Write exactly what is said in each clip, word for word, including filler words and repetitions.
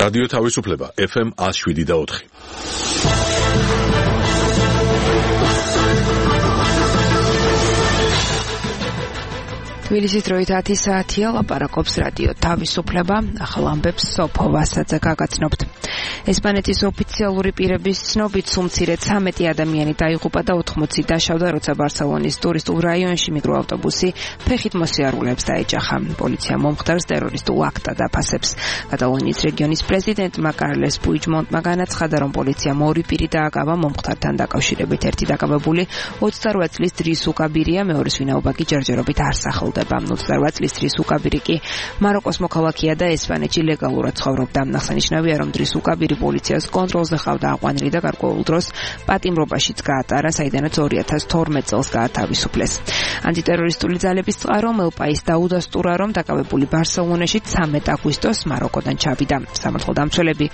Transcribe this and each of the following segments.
რადიო თავისუფლება ეფ ემ one oh seven და four. თბილისის დროით ათი საათია, ლაპარაკობს რადიო თავისუფლება, ახალ ამბებს სოფო ვასაძე გაგაცნობთ. ესპანეთის ოფიციალური პირების ცნობით სულ მცირედ ცამეტი ადამიანი დაიღუპა და ოთხმოცი დაშავდა, როცა ბარსელონის ტურისტულ რაიონში მიკროავტობუსი ფეხით მოსიარულეებს დაეჯახა. პოლიცია მომხდარს ტერორისტულ აქტად აფასებს. კატალონიის რეგიონის პრეზიდენტმა კარლეს პუიჯმონტმა განაცხადა, რომ პოლიციამ ორი პირი დააკავა მომხდართან დაკავშირებით. ერთი დაკავებული ოცდარვაათ წლის დრის უკაბირია, მეორის ვინაობა კი ჯერჯერობით არ სახელდება. ოცდარვაათ წლის დრის უკაბირი კი მაროკოს მოქალაქეა და ესპანეთში ლეგალურად ცხოვრობდა. აღსანიშნავია, რომ დრის უკაბირი პოლიციას კონტროლზე ყავდა აყვანილი და გარკვეულ დროს პატიმრობაშიც გაატარა, საიდანაც ორი ათას თორმეტ წელს გაათავისუფლეს. ანტიტერორისტული ძალების წყარომ ელპაის დაუდასტურა, რომ დაკავებული ბარსელონაში ცამეტ აგვისტოს მაროკოდან ჩავიდა. სამართალ დამცველები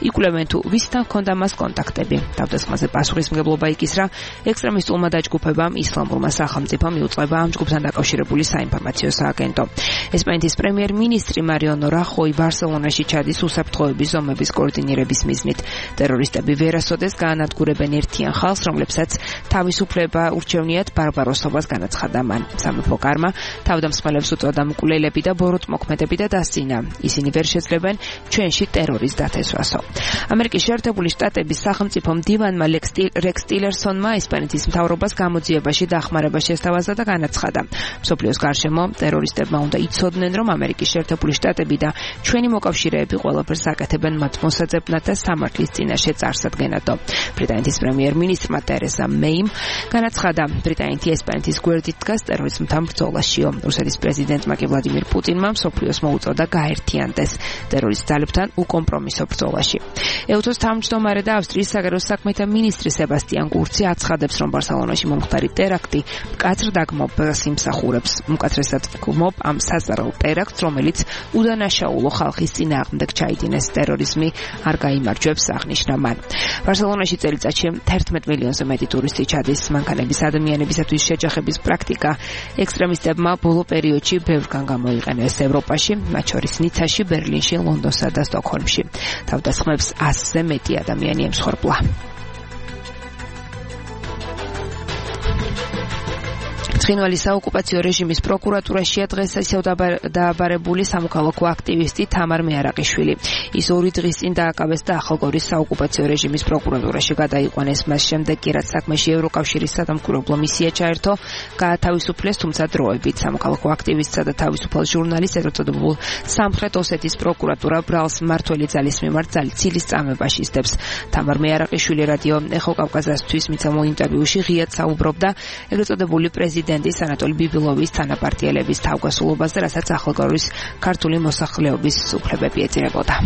იკვლევენ თუ ვისთან ჰქონდა მას კონტაქტები. თავდასხმაზე პასუხისმგებლობა იქისრა ექსტრემისტულმა დაჯგუფებამ ისლამურმა სახელმწიფომ იუწყება ამ ჯგუფთან დაკავშირებული საინფორმაციო სააგენტო. ესპანეთის პრემიერ-მინისტრი მარიანო რახოი ბარსელონაში ჩადის უსაფრთხოების ზომების კოორდინირების მიზნით. ტერორისტები ვერასოდეს გაანადგურებენ ერთიან ხალხს, რომლებსაც თავისუფლება ურჩევნიათ ბარბაროსობას, განაცხადა მან. სამეფო კარმა თავდამსხმელებს უწოდა მკვლელები და ბოროტმოქმედები და დასცინა. ისინი ვერ შეძლებენ ჩვენში ტერორის დათესვასო. ამერიკის შეერთებული შტატების სახელმწიფო მდივანმა რეკს ტილერსონმა ესპანეთის მთავრობას გამოძიებაში დახმარება შესთავაზა და განაცხადა. მსოფლიოს გარშემო ტერორისტებმა უნდა იცოდნენ, რომ ამერიკის შეერთებული შტატები და ჩვენი მოკავშირეები ყველაფერს აკეთებენ მათ მოსაძებნად და სამართლის წინაშე წარსადგენადო. ბრიტანეთის პრემიერ-მინისტრმა ტერეზა მეიმ განაცხადა, ბრიტანეთი ესპანეთის გვერდით დგას ტერორიზმთან ბრძოლაშიო. რუსეთის პრეზიდენტმა კი ვლადიმირ პუტინმა მსოფლიოს მოუწოდა გაერთიანდეს ტერორისტ ძალებთან უკომპრომისო ბრძოლაში. ეუთოს თავმჯდომარე და ავსტრიის საგარეო საქმეთა მინისტრი სებასტიან კურცი აცხადებს, რომ ბარსელონაში მომხდარი ტერაქტი მკაცრ დაგმობას იმსახურებს. მკაცრესად ვგმობ ამ საზარალ ტერაქტს, რომელიც უდანაშაულო ხალხის წინააღმდეგ ჩაიდინეს. ტერორიზმი არ გაიმარჯვებს, აღნიშნა მან. ბარსელონაში წელიწადში თერთმეტ მილიონზე მეტი ტურისტი ჩადის. მანქანების ადამიანებისათვის შეჯახების პრაქტიკა ექსტრემისტებმა ბოლო პერიოდში ბევრგან გამოიყენეს ევროპაში, მათ შორის ნიცაში, ბერლინში, ლონდონსა და სტოკჰოლმში. თავდასხმებს ასზე მეტი ადამიანი ემსხვერპლა. ცხინვალის საოკუპაციო რეჟიმის პროკურატურაშია დღეს ისევ დააბარებული სამოქალაქო აქტივისტი თამარ მეარაყიშვილი. ის ორი დღის წინ დააკავეს და ახალგორის საოკუპაციო რეჟიმის პროკურატურაში გადაიყვანეს. მას შემდეგ კი რაც საქმეში ევროკავშირის სადამკვირვებლო მისია ჩაერთო, გაათავისუფლეს, თუმცა დროებით. სამოქალაქო აქტივისტსა და თავისუფალ ჟურნალისტს ეწოდებულ სამხრეთ ოსეთის პროკურატურა ბრალს მმართველი ძალის მიმართ ძალცილის წამებაში ისდებს. თამარ მეარაყიშვილი რადიო ეხო კავკაზასთვის მიცემულ ინტერვიუში ღიად საუბრობდა ეგრეთ წოდებული პრეზიდენტის ანატოლი ბიბილოვის თანაპარტიელების თავგასულობაზე, რასაც ახალგორის ქართული მოსახლეობის უფლებები ეწირებოდა.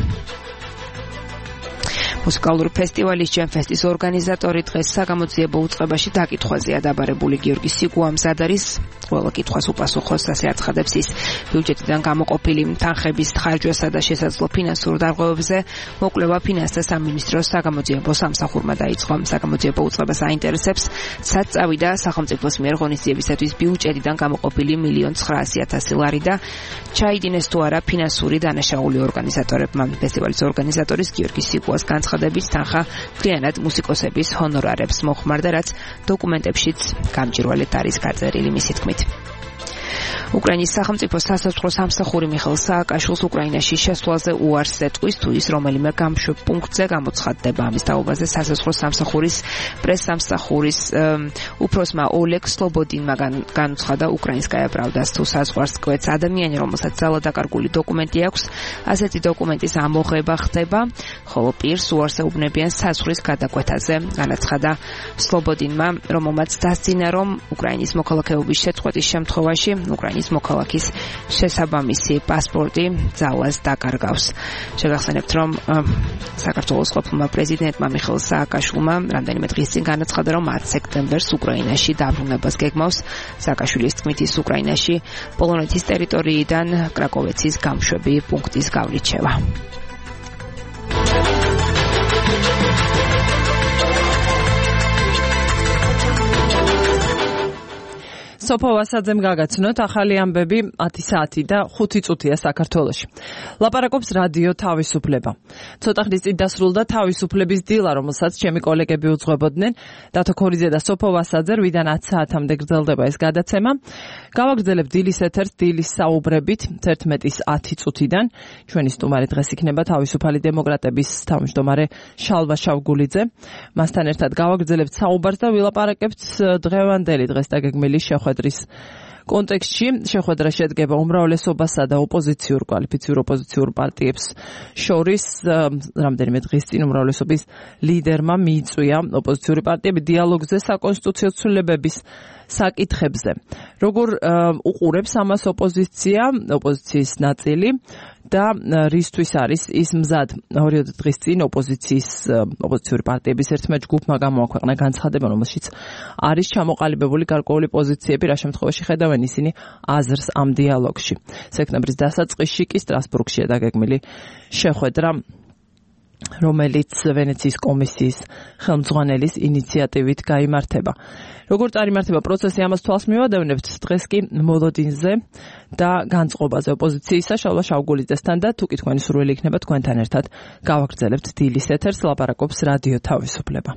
მუსიკალური ფესტივალის ჯემფესტის ორგანიზატორი დღეს საგამოძიებო უწყებაში დაკითხვაზეა დაბარებული. გიორგი სიგუამზად არის ყველა კითხვას უპასუხოს, ასე აცხადებს ის. ბიუჯეტიდან გამოყოფილი თანხების ხარჯვასა და შესაძლო ფინანსურ დარღვევებზე მოკვლევა ფინანსთა სამინისტროს საგამოძიებო სამსახურმა დაიწყო. საგამოძიებო უწყებას აინტერესებს, სად წავიდა სახელმწიფოს მიერ ღონისძიებისათვის ბიუჯეტიდან გამოყოფილი მილიონი ცხრაასი ათასი ლარი და ჩაიდინეს თუ არა ფინანსური დანაშაული ორგანიზატორებმა. ფესტივალის ორგანიზატორის გიორგი სიგუას განცხადებით თანხა მთლიანად მუსიკოსების ჰონორარებს მოხმარდა, რაც დოკუმენტებშიც გამჭვირვალედ არის გაწერილი მისი თქმით. უკრაინის სახელმწიფო სასაზღვრო სამსახური მიხეილ სააკაშვილს უკრაინაში შესვლაზე უარს ეტყვის, თუ ის რომელიმე გამშვებ პუნქტზე გამოცხადდება. ამის თაობაზე სასაზღვრო სამსახურის პრესსამსახურის უფროსმა ოლეგ სლობოდინმა განუცხადა უკრაინსკაია პრავდას, თუ საზღვარს კვეთს ადამიანი, რომელსაც ძალადაკარგული დოკუმენტი აქვს, ასეთი დოკუმენტის ამოღება ხდება, ხოლო პირს უარს ეუბნებიან საზღვრის გადაკვეთაზე. განაცხადა სლობოდინმა, რომელმაც დასძინა, რომ უკრაინის მოქალაქეობის შეწყვეტის შემთხვევაში უკრაინის მოქალაქის შესაბამისი პასპორტი ძალას დაკარგავს. შეგახსენებთ, რომ საქართველოს ყოფილმა პრეზიდენტმა მიხეილ სააკაშვილმა რამდენიმე დღის წინ განაცხადა, რომ ათი სექტემბერს უკრაინაში დაბრუნებას გეგმავს. სააკაშვილის თქმით, ის უკრაინაში პოლონეთის ტერიტორიიდან კრაკოვეცის გამშვები პუნქტის გავლით შევა. სოფო ვასაძემ გაგაცნოთ ახალი ამბები ათი საათი და ხუთი წუთია საქართველოში. ლაპარაკობს რადიო თავისუფლება. ცოტა ხნის წინ დასრულდა თავისუფლების დილა, რომელსაც ჩემი კოლეგები უძღვებოდნენ. დათო ქორიძე და სოფო ვასაძე რვიდან ათ საათამდე გრძელდება ეს გადაცემა. გავაგრძელებ დილის ეთერს დილის საუბრებით თერთმეტის ათი წუთიდან. ჩვენი სტუმარი დღეს იქნება თავისუფალი დემოკრატების თავმჯდომარე შალვა შავგულიძე. მასთან ერთად გავაგრძელებთ საუბარს და ვილაპარაკებთ დღევანდელი დღეს დაგეგმილი შეხვედრის კონტექსტში. შეხვედრა შედგება უმრავლესობასა და ოპოზიციურ კვალიფიციურ ოპოზიციურ პარტიებს შორის. რამდენიმე დღის წინ უმრავლესობის ლიდერმა მიიწვია ოპოზიციური პარტიები დიალოგზე საკონსტიტუციო ცვლილებების საკითხებზე. როგორ უყურებს ამას ოპოზიცია, ოპოზიციის ნაწილი და რისთვის არის ის მზად? ორი დღის წინ ოპოზიციის ოპოზიციური პარტიების ერთმა ჯგუფმა გამოაქვეყნა განცხადება, რომელშიც არის ჩამოყალიბებული გარკვეული პოზიციები, რა შემთხვევაში ხედავენ ისინი აზრს ამ დიალოგში. სექტემბრის დასაწყისში კი სტრასბურგშია დაგეგმილი შეხვედრა, რომელიც ვენეციის კომისიის ხელმძღვანელის ინიციატივით გაიმართება. როგორ წარიმართება პროცესი, ამას თვალს მივადევნებთ დღეს კი მოლოდინზე და განწყობაზე ოპოზიციისა შალვა შავგულიძესთან და თუ კი თქვენი სურვილი იქნება თქვენთან ერთად გავაგრძელებთ დილის ეთერს, ლაპარაკობს რადიო თავისუფლება.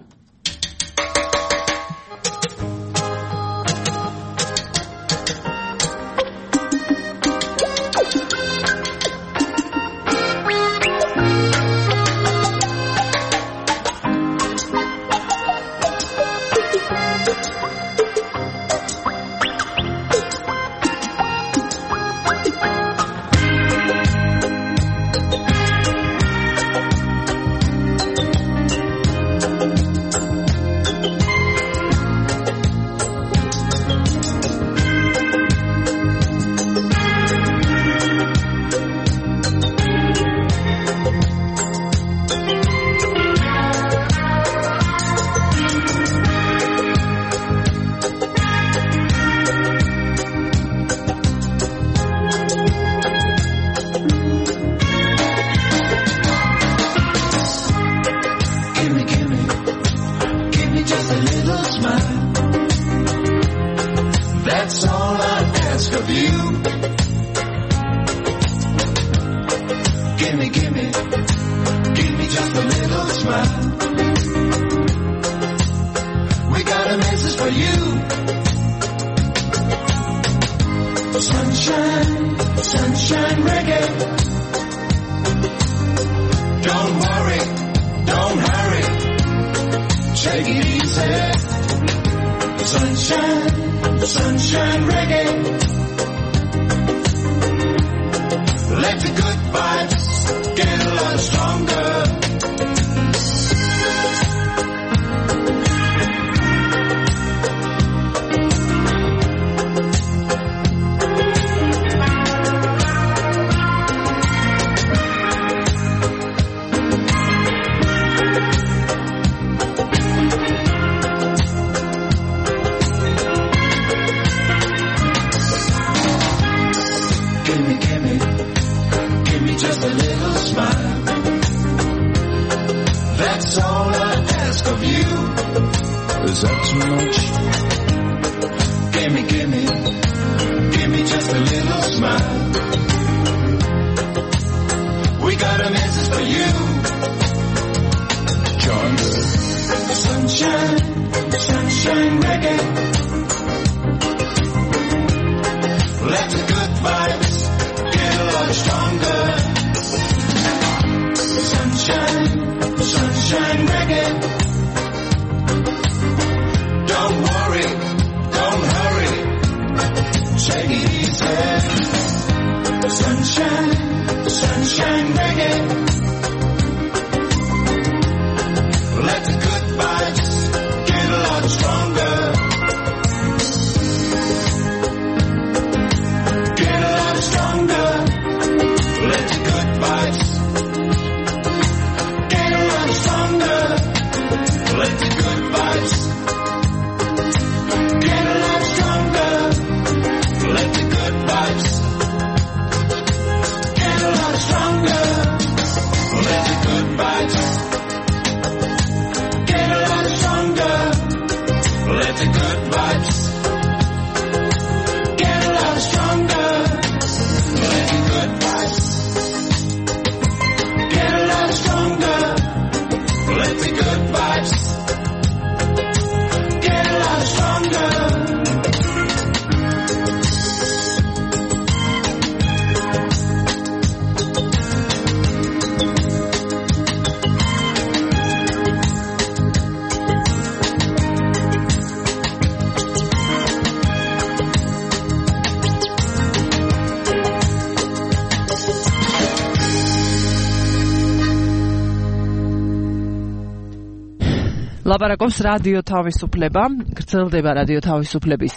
ლაპარაკობს რადიო თავისუფლება, გრძელდება რადიო თავისუფლების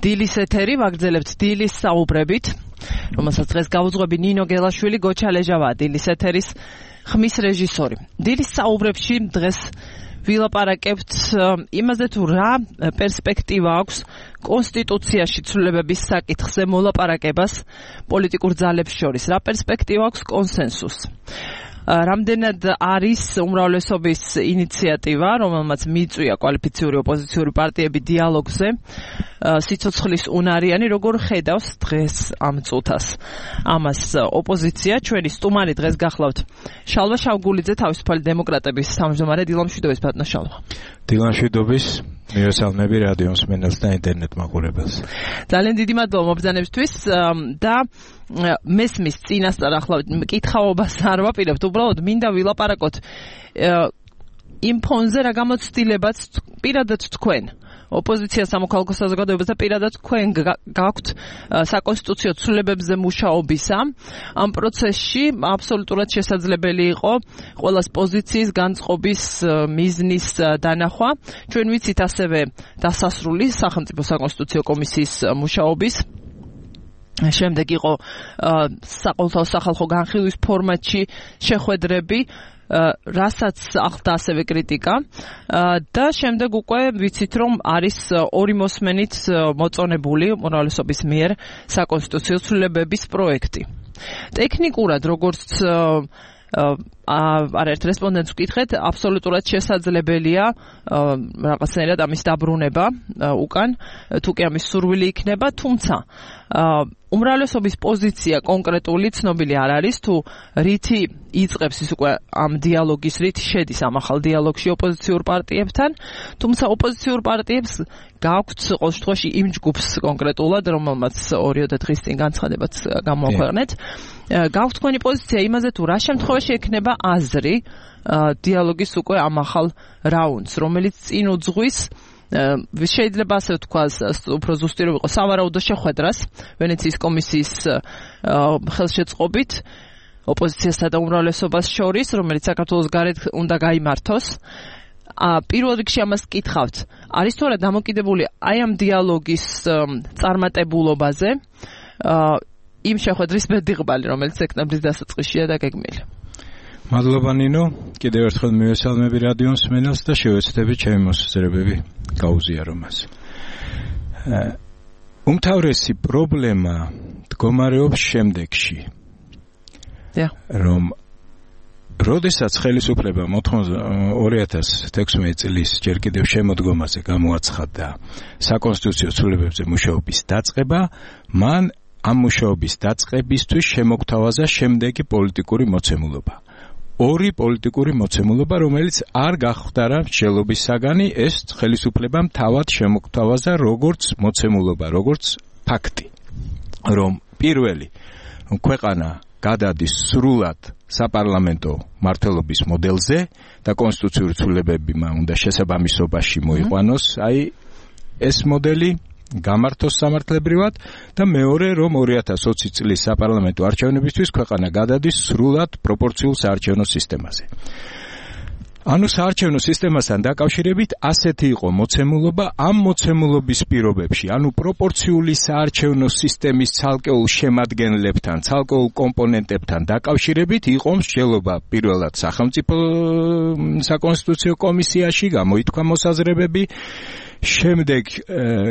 დილის ეთერი, ვაგრძელებთ დილის საუბრებით, რომელსაც დღეს გაუძღვები ნინო გელაშვილი, გოჩა ლეჟავა, დილის ეთერის ხმის რეჟისორი. დილის საუბრებში დღეს ვილაპარაკებთ იმაზე, თუ რა პერსპექტივა აქვს კონსტიტუციაში ცვლილებების საკითხზე მოლაპარაკებას პოლიტიკურ ძალებს შორის, რა პერსპექტივა აქვს კონსენსუსს. რამდენად არის უმრავლესობის ინიციატივა, რომელმაც მიიწვია კვალიფიციური ოპოზიციური პარტიები დიალოგზე, სიცოცხლის უნარიანი, როგორ ხედავს დღეს ამ წუთას. ამას ოპოზიცია, ჩვენი სტუმარი დღეს გახლავთ შალვა შავგულიძე, თავისუფალი დემოკრატების თავმჯდომარე. დილა მშვიდობის, ბატონო შალვა. დილა მშვიდობის, მივესალმები რადიო მსმენელს და ინტერნეტ მაყურებელს. ძალიან დიდი მადლობა მობრძანებისთვის და მესმის წინასწარ ახლა მკითხაობას არ ვაპირებთ, უბრალოდ მინდა ვილაპარაკოთ იმ ფონზე, რა გამოცდილებაც პირადად თქვენ ოპოზიცია სამოქალაქო საზოგადოებას და პირადად თქვენ გაქვთ საკონსტიტუციო ცვლილებებზე მუშაობისა. ამ პროცესში აბსოლუტურად შესაძლებელი იყო ყველას პოზიციის განწყობის მიზნის დანახვა. ჩვენ ვიცით ასევე დასასრული სახელმწიფო საკონსტიტუციო კომისიის მუშაობის. შემდეგ იყო საყოველთაო სახალხო განხილვის ფორმატში შეხვედრები, რასაც ახლდა ასევე კრიტიკა და შემდეგ უკვე ვიცით, რომ არის ორი მოსმენით მოწონებული უმრავლესობის მიერ საკონსტიტუციო ცვლილებების პროექტი. ტექნიკურად, როგორც არაერთ რესპონდენტს ვკითხეთ, აბსოლუტურად შესაძლებელია რაღაცნაირად ამის დაბრუნება უკან, თუ კი ამის სურვილი იქნება, თუმცა უმრავლესობის პოზიცია კონკრეტული ცნობილი არ არის, თუ რითი იწყებს ის უკვე ამ დიალოგის, რითი შედის ამ ახალ დიალოგში ოპოზიციურ პარტიებთან, თუმცა ოპოზიციურ პარტიებს გააქვთ ყოველ შემთხვევაში იმ ჯგუფს კონკრეტულად, რომელმაც ორიოდე დღის წინ განცხადებაც გამოაქვეყნეთ, გააქვთ თქვენი პოზიცია იმაზე, თუ რა შემთხვევაში ექნება აზრი დიალოგის უკვე ამ ახალ რაუნდს, რომელიც წინ უძღვის შეიძლება ასე ვთქვას, უფრო ზუსტი რომ იყოს სავარაუდო შეხვედრას ვენეციის კომისიის ხელშეწყობით ოპოზიციასა და უმრავლესობას შორის, რომელიც საქართველოს გარეთ უნდა გაიმართოს. პირველ რიგში ამას კითხავთ, არის თუ არა დამოკიდებული აი ამ დიალოგის წარმატებულობაზე იმ შეხვედრის ბედიღბალი, რომელიც სექტემბრის დასაწყისშია დაგეგმილი. მადლობა ნინო, კიდევ ერთხელ მივესალმები რადიო მსმენელს და შევეცდები ჩემი მოსაზრებები გაუზიარო მას. უმთავრესი პრობლემა მდგომარეობს შემდეგში. რომ როდესაც ხელისუფლებამ ორი ათას თექვსმეტი წლის ჯერ კიდევ შემოდგომაზე გამოაცხადა საკონსტიტუციო ცვლილებებზე მუშაობის დაწყება, მან ამ მუშაობის დაწყებისთვის შემოგთავაზა შემდეგი პოლიტიკური მოცემულობა. ორი პოლიტიკური მოცემულობა, რომელიც არ გახვდარა მსჯელობის საგანი, ეს ხელისუფლებამ თავად შემოგთავაზა როგორც მოცემულობა, როგორც ფაქტი, რომ პირველი ქვეყანა გადადის სრულად საპარლამენტო მმართველობის მოდელზე და კონსტიტუციური ცვლილებები უნდა შესაბამისობაში მოიყვანოს, აი ეს მოდელი გამართოს სამართლებრივად და მეორე, რომ ორი ათას ოცი წლის საპარლამენტო არჩევნებისთვის ქვეყანა გადადის სრულად პროპორციულ საარჩევნო სისტემაზე. ანუ საარჩევნო სისტემასთან დაკავშირებით ასეთი იყო მოცემულობა, ამ მოცემულობის პირობებში, ანუ პროპორციული საარჩევნო სისტემის ცალკეულ შემადგენლებთან, ცალკეულ კომპონენტებთან დაკავშირებით იყო მსჯელობა პირველად სახელმწიფო საკონსტიტუციო კომისიაში, გამოითქვა მოსაზრებები, შემდეგ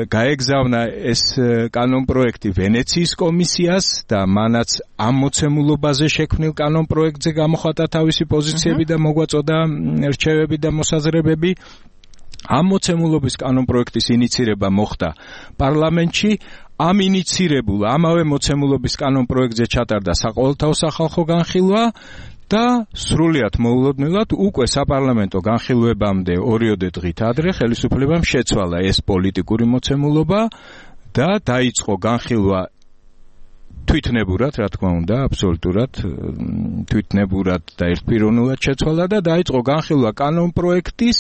გაეგზავნა ეს კანონპროექტი ვენეციის კომისიას და მანაც ამ მოცემულობაზე შექმნილ კანონპროექტზე გამოხატა თავისი პოზიციები და მოგვაწოდა რჩევები და მოსაზრებები. ამ მოცემულობის კანონპროექტის ინიცირება მოხდა პარლამენტში, ამ ინიცირებულ ამავე მოცემულობის კანონპროექტზე ჩატარდა საყოველთაო სახალხო განხილვა და სრულიად მოულოდნელად უკვე საპარლამენტო განხილვებამდე ორიოდე დღით ადრე ხელისუფლებამ შეცვალა ეს პოლიტიკური მოცემულობა და დაიწყო განხილვა თვითნებურად, რა თქმა უნდა, აბსოლუტურად თვითნებურად და ერთპიროვნულად შეცვალა და დაიწყო განხილვა კანონპროექტის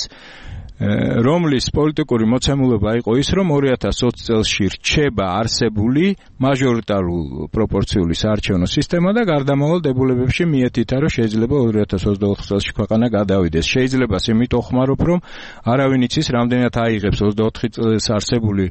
რომლის პოლიტიკური მოცემულობა იყო ის, რომ ორი ათას ოცი წელში რჩება არსებული მაჟორიტარულ პროპორციული საარჩევნო სისტემა და გარდამავალ დებულებებში მიეთითა, რომ შეიძლება ორი ათას ოცდაოთხ წელში ქვეყანა გადავიდეს. შეიძლება იმით ოხმარობ, რომ არავინ იცის, რამდენად აიღებს ოცდაოთხი წელს არსებული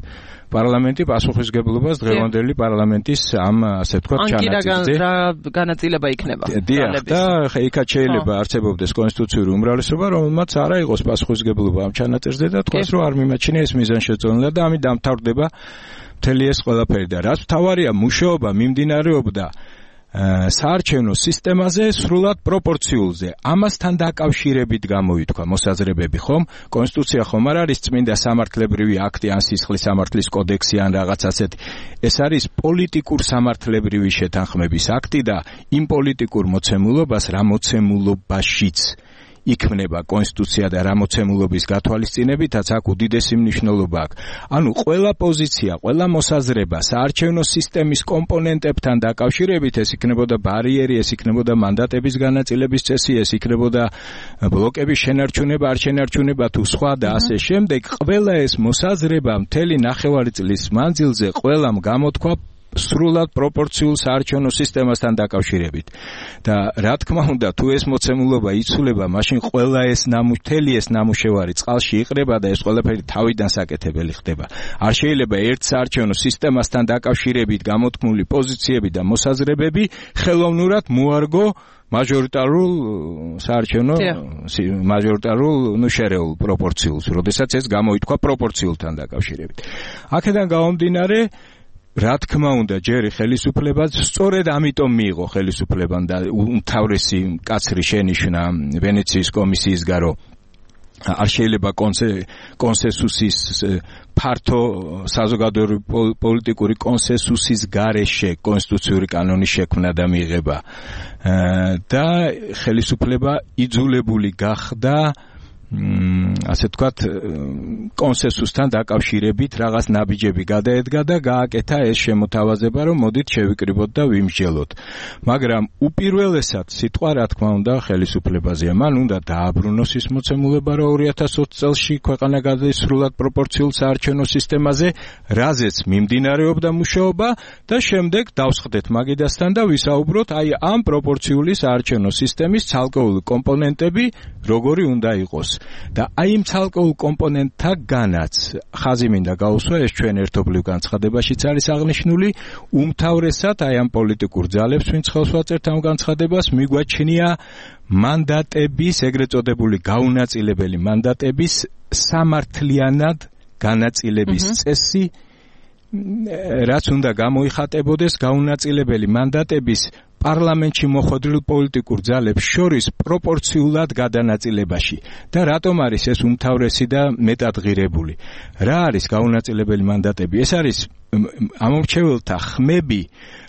პარლამენტი პასუხისგებლობას დღევანდელი პარლამენტის ამ ასე ვთქვათ ჩანაწილზე. ან კი რა განაწილება იქნება. დიახ, და იქაც შეიძლება არსებობდეს კონსტიტუციური უმრავლესობა, რომელმაც არა იყოს პასუხისგებლობა ამ ჩანაწილზე და თქვას, რომ არ მიმაჩნია ეს მიზანშეწონილად და ამით დამთავრდება მთელი ეს ყველაფერი და რაც მთავარია, მუშაობა მიმდინარეობდა საარჩევნო სისტემაზე სრულად პროპორციულზე. ამასთან დაკავშირებით გამოითქვა მოსაზრებები, ხომ? კონსტიტუცია ხომ არ არის წმინდა სამართლებრივი აქტი ან სისხლის სამართლის კოდექსი ან რაღაც ასეთი. ეს არის პოლიტიკურ სამართლებრივი შეთანხმების აქტი და იმ პოლიტიკურ მოცემულობას რა მოცემულობაშიც იქმნება კონსტიტუცია და რა მოცემულობის გათვალისწინებითაც აქ უდიდესი მნიშვნელობა აქვს. ანუ ყველა პოზიცია, ყველა მოსაზრება საარჩევნო სისტემის კომპონენტებთან დაკავშირებით, ეს იქნებოდა ბარიერი, ეს იქნებოდა მანდატების განაწილების წესი, ეს იქნებოდა ბლოკების შენარჩუნება, არ შენარჩუნება თუ სხვა და ასე შემდეგ, ყველა ეს მოსაზრება მთელი ნახევარი წლის მანძილზე ყველამ გამოთქვა სრულად პროპორციულ საარჩევნო სისტემასთან დაკავშირებით. და რა თქმა უნდა, თუ ეს მოცემულობა იცვლება, მაშინ ყველა ეს ნამუშევარი, ეს ნამუშევარი წყალში იყრება და ეს ყველაფერი თავიდან საკეთებელი ხდება. არ შეიძლება ერთ საარჩევნო სისტემასთან დაკავშირებით გამოთქმული პოზიციები და მოსაზრებები ხელოვნურად მოარგო მაჟორიტარულ საარჩევნო მაჟორიტარულ ნუ შერეულ პროპორციულს, როდესაც ეს გამოითქვა პროპორციულთან დაკავშირებით. აქედან გამომდინარე, რა თქმა უნდა, ჯერი ხელისუფლებას სწორედ ამიტომ მიიღო ხელისუფლებამ და უმთავრესი კაცრი შენიშვნა ვენეციის კომისიის გარო არ შეიძლება კონსენსუსის ფართო საზოგადოებრივი პოლიტიკური კონსენსუსის გარეშე კონსტიტუციური კანონის შექმნა და მიღება და ხელისუფლება იძულებული გახდა ასე ვთქვათ კონსენსუსთან დაკავშირებით რაღაც ნაბიჯები გადაედგა და გააკეთა ეს შემოთავაზება, რომ მოდით შევიკრიბოთ და ვიმსჯელოთ. მაგრამ უპირველესად სიტყვა რა თქმა უნდა ხელისუფლებაზეა. მან უნდა დააბრუნოს ის მოცემულობა, რომ ორი ათას ოცი წელში ქვეყანა გადადის სრულად პროპორციულ საარჩევნო სისტემაზე, რაზეც მიმდინარეობდა მუშაობა და შემდეგ დავსხდეთ მაგიდასთან და ვისაუბროთ აი ამ პროპორციული საარჩევნო სისტემის ცალკეული კომპონენტები როგორი უნდა იყოს. და აი იმ ცალკეულ კომპონენტთაგანაც ხაზი მინდა გაუსვა, ეს ჩვენ ერთობლივ განცხადებაშიც არის აღნიშნული, უმთავრესად აი ამ პოლიტიკურ ძალებს, ვინც ხელს ვაწერთ ამ განცხადებას, მიგვაჩნია მანდატების, ეგრეთ წოდებული გაუნაწილებელი მანდატების სამართლიანად განაწილების წესი, რაც უნდა გამოიხატებოდეს გაუნაწილებელი მანდატების პარლამენტში მოხვედრილ პოლიტიკურ ძალებს შორის პროპორციულად გადანაწილებაში. და რატომ არის ეს უმთავრესი და მეტად ღირებული? რა არის გაუნაწილებელი მანდატები? ეს არის ამორჩეველთა ხმები,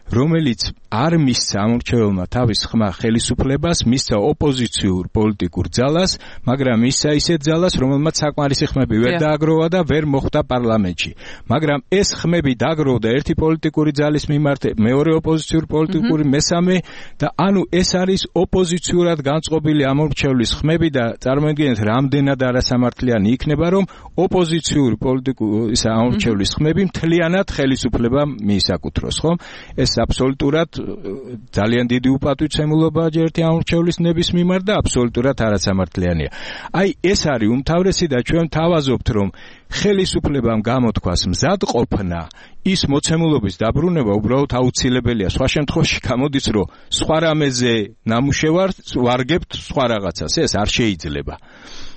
რომელიც არ მისცა ამორჩეველმა თავის ხმა ხელისუფლებას, მისცა ოპოზიციურ პოლიტიკურ ძალას, მაგრამ მისცა ისეთ ძალას, რომელმაც საკმარისი ხმები ვერ დააგროვა და ვერ მოხვდა პარლამენტში. მაგრამ ეს ხმები დააგროვდა ერთი პოლიტიკური ძალის მიმართ, მეორე ოპოზიციური პოლიტიკური, მესამე და ანუ ეს არის ოპოზიციურად განწყობილი ამორჩევლის ხმები და წარმოიდგინეთ, რამდენად არასამართლიანი იქნება, რომ ოპოზიციური პოლიტიკური ისა ამორჩევლის ხმები მთლიანად ხელისუფლებამ მიისაკუთროს, ხომ? ეს აბსოლუტურად ძალიან დიდი უპატვიცემულობაა ერთი ამორჩევლის ნების მიმართ და აბსოლუტურად არასამართლიანია. აი ეს არის უმთავრესი და ჩვენ თავაზობთ, რომ ხელისუფლებამ გამოთქვას მზადყოფნა, ის მოცემულობის დაბრუნება უბრალოდ აუცილებელია. სხვა შემთხვევაში გამოდის, რომ სხვა რამეზე ნამუშევარს ვარგებთ სხვა რაღაცას, ეს არ შეიძლება.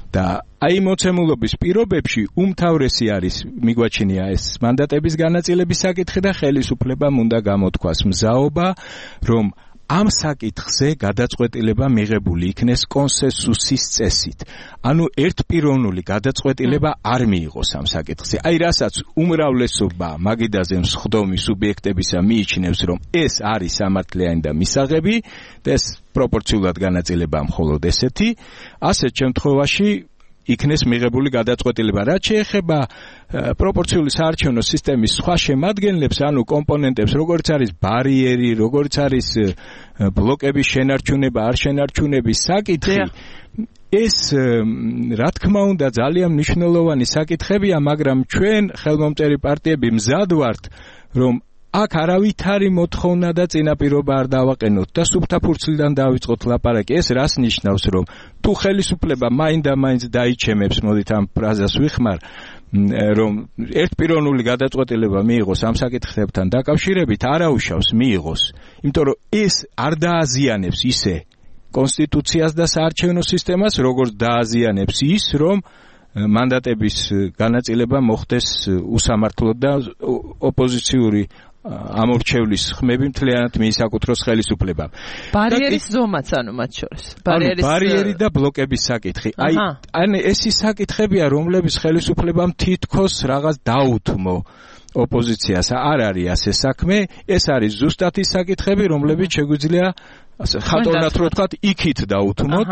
და აი მოცემულობის პირობებში უმთავრესი არის მიგვაჩნია ეს მანდატების განაწილების საკითხი და ხელისუფლებამ უნდა გამოთქვას მზაობა, რომ ამ საკითხზე გადაწყვეტილება მიღებული იქნეს კონსენსუსის წესით. ანუ ერთპიროვნული გადაწყვეტილება არ მიიღოს ამ საკითხზე. აი რასაც უმრავლესობა მაგიდაზე მსხდომი სუბიექტებისა მიიჩნევს, რომ ეს არის სამართლიანი და მისაღები და ეს პროპორციულად განაწილება მხოლოდ ესეთი, ასეთ შემთხვევაში იქნეს მიღებული გადაწყვეტილება. რაც შეეხება პროპორციული საარჩევნო სისტემის სხვა შემადგენლებს, ანუ კომპონენტებს, როგორც არის ბარიერი, როგორც არის ბლოკების შენარჩუნება, არ შენარჩუნების საკითხი, ეს რა თქმა უნდა ძალიან მნიშვნელოვანი საკითხებია, მაგრამ ჩვენ ხელმომწერი პარტიები მზად ვართ, რომ აქ არავითარი მოთხოვნა და წინაპირობა არ დავაყენოთ და სუფთა ფურცლიდან დავიწყოთ ლაპარაკი. ეს რას ნიშნავს, რომ თუ ხელისუფლება მაინდა-მაინც დაიჩემებს, მოდით ამ ფრაზას ვიხმარ, რომ ერთპიროვნული გადაწყვეტილება მიიღოს ამ საკითხებთან დაკავშირებით, არაუშავს მიიღოს, იმიტომ რომ ეს არ დააზიანებს ისე კონსტიტუციას და საარჩევნო სისტემას, როგორც დააზიანებს ის, რომ მანდატების განაწილება მოხდეს უსამართლოდ და ოპოზიციური ამორჩევლის ხმები მთლიანად მიისაკუთროს ხელისუფლებამ. ბარიერის ზომაც, ანუ მათ შორის. ბარიერის ბარიერი და ბლოკების საკითხი. აი, ან ეს ის საკითხებია, რომლების ხელისუფლებამ თითქოს რაღაც დაუთმო ოპოზიციას. არ არის ასე საქმე, ეს არის ზუსტად ის საკითხები, რომლებიც შეგვიძლია ხატოვნად რო ვთქვათ, იქით დაუთმოთ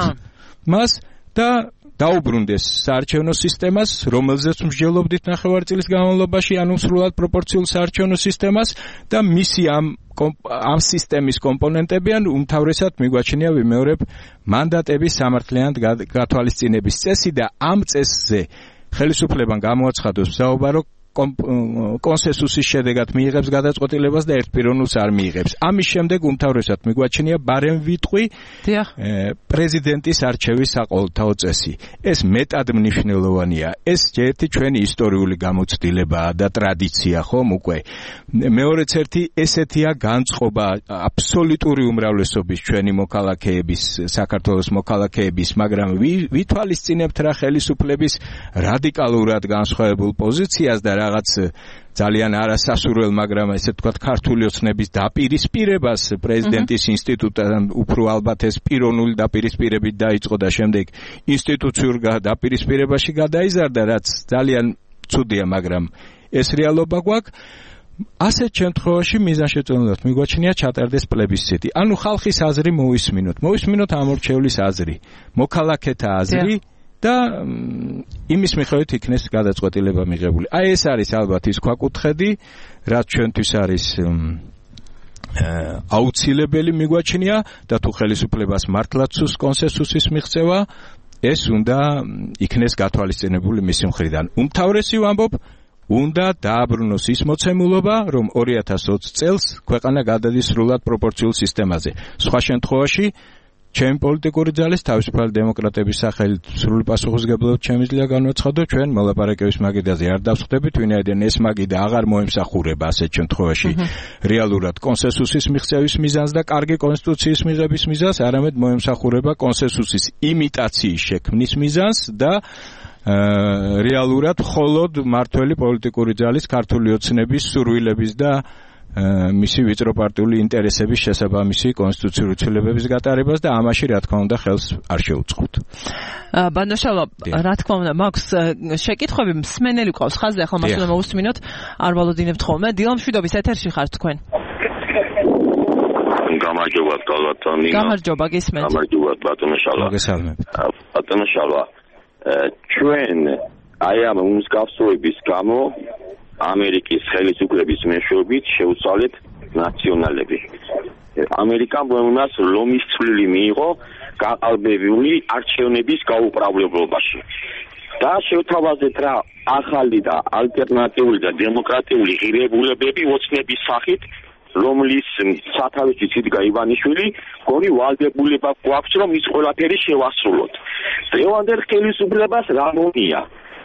მას და დაუბრუნდეს საარჩევნო სისტემას, რომელზეც მსჯელობდით ნახევარწლის განმავლობაში, ანუ სრულად პროპორციულ საარჩევნო სისტემას და მისი ამ ამ სისტემის კომპონენტები, ან უმთავრესად მიგვაჩნია ვიმეორებ მანდატების სამართლიანად გათვალისწინების წესი და ამ წესზე ხელისუფლებამ გამოაცხადოს მზაობა, რომ კონსენსუსის შედეგად მიიღებს გადაწყვეტილებას და ერთპიროვნულს არ მიიღებს. ამის შემდეგ უმთავრესად მიგვაჩნია ბარემ ვიტყვი პრეზიდენტის არჩევის საყოველთაო წესი. ეს მეტად მნიშვნელოვანია. ეს ერთი ჩვენი ისტორიული გამოცდილებაა და ტრადიცია, ხომ უკვე. მეორეც ერთი ესეთია განწყობა აბსოლუტური უმრავლესობის ჩვენი მოქალაქეების, საქართველოს მოქალაქეების, მაგრამ ვითვალისწინებთ რა ხელისუფლების რადიკალურად განსხვავებულ პოზიციას და რაღაც ძალიან არასასურველ, მაგრამ ესე ვთქვათ, ქართული ოცნების დაპირისპირებას პრეზიდენტის ინსტიტუტთან უფრო ალბათ ეს პიროვნული დაპირისპირებით დაიწყო და შემდეგ ინსტიტუციურ დაპირისპირებაში გადაიზარდა, რაც ძალიან ცუდია, მაგრამ ეს რეალობა გვაქვს. ასეთ შემთხვევაში მიზანშეწონილად მიგვაჩნია ჩატარდეს პლებისციტი. ანუ ხალხის აზრი მოვისმინოთ. მოვისმინოთ ამორჩევლის აზრი, მოქალაქეთა აზრი. და იმის მიხედვით იქნეს გადაწყვეტილება მიღებული. აი ეს არის ალბათ ის ქვაკუთხედი, რაც ჩვენთვის არის აუცილებელი მიგვაჩნია და თუ ხელისუფლებას მართლაც სურს კონსენსუსის მიღწევა, ეს უნდა იქნეს გათვალისწინებული მისი მხრიდან. უმთავრესი ვამბობ, უნდა დააბრუნოს ის მოცემულობა, რომ ორი ათას ოცი წელს ქვეყანა გადადის სრულად პროპორციულ სისტემაზე. სხვა შემთხვევაში ჩემი პოლიტიკური ძალის თავისუფალი დემოკრატების სახელით სრული პასუხისმგებლობით შემიძლია განვაცხადო, ჩვენ მოლაპარაკების მაგიდაზე არ დავსხდებით, ვინაიდან ეს მაგიდა აღარ მოემსახურება ასეთ შემთხვევაში რეალურად კონსენსუსის მიღწევის მიზანს და კარგი კონსტიტუციის მიღების მიზანს, არამედ მოემსახურება კონსენსუსის იმიტაციის შექმნის მიზანს და რეალურად მხოლოდ მართველი პოლიტიკური ძალის, ქართული ოცნების სურვილების და მისი ვიწროპარტიული ინტერესების შესაბამისი კონსტიტუციური ცვლილებების გატარებას და ამაში რა თქმა უნდა ხელს არ შეუწყობთ. ბანოშალო, რა თქმა უნდა, მაქვს შეკითხვები, მსმენელი ყავს ხაზზე, ახლა მას უნდა მოусმინოთ, არ ვალოდინებთ ხოლმე. დილამშვიდობის ეთერში ხართ თქვენ. გამარჯობა, ბატონო. გამარჯობა, გისმენთ. გამარჯობა, ბატონო შალვა. მოგესალმებით. ბატონო შალვა, ჩვენ აი ამ მსგავსების გამო ამერიკის ხელისუფლების მეშვეობით შეუცვალეთ ნაციონალები. ამერიკამ მომას ლომის წვლილი მიიღო გაყალბებული არჩევნების გაუправლებლობაში. და შევთავაზეთ რა ახალი და ალტერნატიული და დემოკრატიული ღირებულებები ოცნების სახით, რომლის სათავეში იდგა ივანიშვილი, გონი ვალდებულება გვაქვს, რომ ის ყველაფერი შევასრულოთ. დღევანდელ ხელისუფლებას რა მომია,